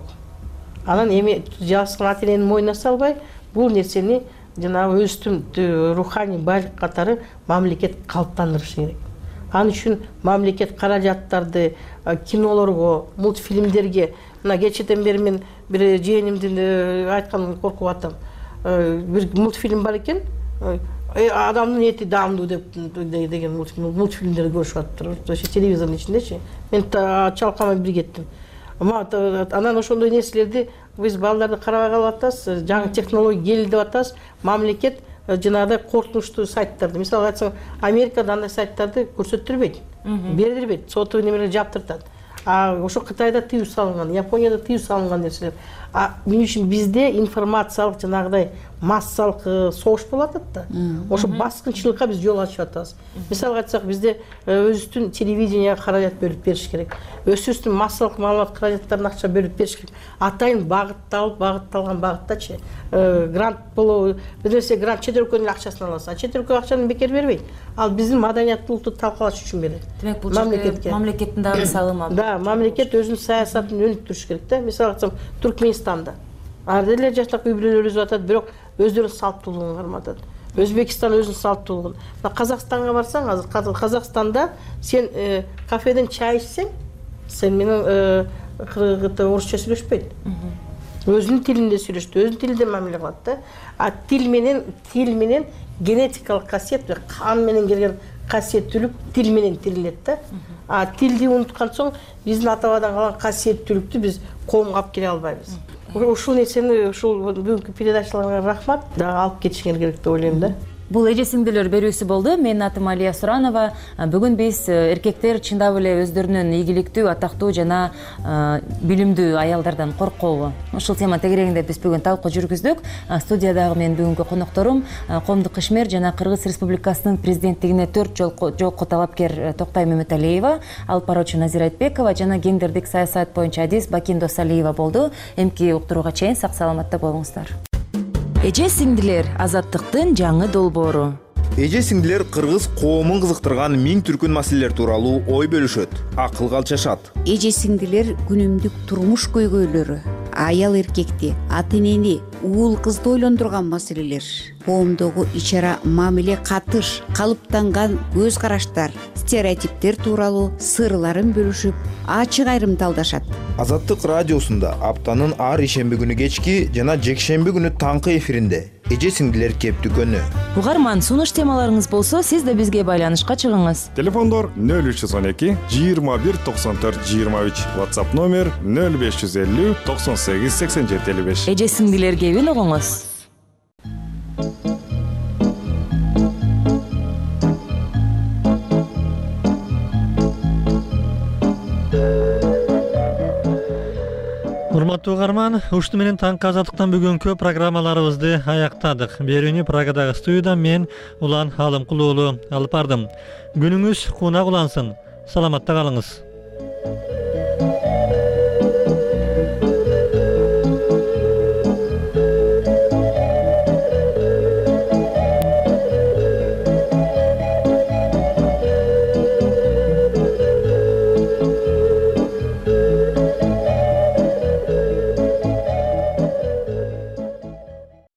[SPEAKER 26] Анан эми жаскан ата эненин мойнуна салбай, бул нерсени жанагы өзүнүн руханий байлык катары мамлекет калыптандырышы керек. Ал үчүн мамлекет каражаттарды кинолорго, мультфильмдерге, мына кечээден бери мен бир жээнимдин айтканын коркуп атам. Бир мультфильм бар экен, адамдын эти даамдуу деген мультфильмдерди көрүшүп атыптыр. Ошо телевизордун ичиндечи. Мен чалкамай бир кеттим. Анан ошондой нерселерди биз балдарды карабай калып атабыз, жаңы технология келди деп атабыз. Мамлекет жанагыдай коркунучтуу сайттарды, мисалга айтсаң, Америкада андай сайттарды көрсөттүрбөйт, бердирбейт, соту немелер жаптыртат. Ошо Кытайда тыюу салынган, Японияда тыюу салынган нерселер. Мен үчүн бизде информациялык жанагыдай массалык согуш болуп атат да. Ошо баскынчылыкка биз жол ачып атабыз. Мисалга айтсак, бизде өзүбүздүн телевиденияга каражат бөлүп бериш керек. Өзүбүздүн массалык маалымат каражаттарына акча бөлүп бериш керек. Атайын багытталган багыттачы. Грант болобу, бир нерсе грант чет өлкөнүн акчасын аласыз. Чет өлкө акчаны бекер бербейт. Ал биздин маданияттуулукту талкалаш үчүн берет.
[SPEAKER 25] Демек, бул жерде мамлекеттин дагы салымы.
[SPEAKER 26] Да, мамлекет өзүнүн саясатын өнүктүрүш керек да. Мисалга айтсам, Түркмөнстанда ар деле жаштак үй бүлөлөр өсүп атат, бирок өздөрүнүн салттуулугун карматат. Өзбекстан өзүнүн салттуулугун. Казакстанга барсаң, азыр Казакстанда сен кафеден чай ичсең, сен менен орусча сүйлөшпөйт. Өзүнүн тилинде сүйлөштү, өзүнүн тилинде мамиле кылат да. Тил менен генетикалык касиет, кан менен келген касиеттүүлүк тил менен тирилет да. Тилди унуткан соң биздин ата-бабадан калган касиеттүүлүктү биз коомго алып келе албайбыз. Ушул нерсени ушул бүгүнкү передачаларга рахмат, дагы алып кетишиңер керек деп ойлойм да.
[SPEAKER 25] Бул эже сиңдилер берүүсү болду. Менин атым Алия Суранова. Бүгүн биз эркектер чындап эле өздөрүнүн ийгиликтүү, атактуу жана билимдүү аялдардан коркобу? Ушул тема тегерегинде биз бүгүн талкуу жүргүздүк. Студиядагы менин бүгүнкү конокторум Коомдук ишмер жана Кыргыз Республикасынын президенттигине 4 жолку талапкер Токтай Мөмөталиева, алып баруучу Назира Айтбекова жана гендердик саясат боюнча адис Бакин Досалиева болду. Эмки уктурууга чейин сак саламатта болуңуздар.
[SPEAKER 3] Эже сиңдилер азаттыктын жаңы долбоору.
[SPEAKER 22] Эже сиңдилер кыргыз коомун кызыктырган миң түркүн маселелер тууралуу ой бөлүшөт, акыл калчашат.
[SPEAKER 23] Эже сиңдилер күнүмдүк турмуш көйгөйлөрү, аял эркекти, ата энени, уул кызды ойлондурган маселелер, коомдогу ичара мамиле катыш, калыптанган көз караштар, стереотиптер тууралуу сырларын бөлүшүп, ачык айрымдалдашат.
[SPEAKER 22] Азаттык радиосунда аптанын ар ишемби күнү кечки жана жекшемби күнү таңкы эфиринде эже сиңдилер кептүкөнү.
[SPEAKER 3] Угарман, сунуш темаларыңыз болсо, сиз да бизге байланышка чыгыңыз.
[SPEAKER 24] Телефондор 0312 21 94 23, WhatsApp номер 0550 98 87 55.
[SPEAKER 3] Эже сиңдилер кебин угуңуз.
[SPEAKER 1] Урматтуу угарман, ушту менен таңкы азаттыктан бүгүнкү программаларыбызды аяктадык. Берүүнү Прагадагы студиядан мен Улан Алымкул уулу алып бардым. Күнүңүз кунак улансын. Саламатта калыңыз.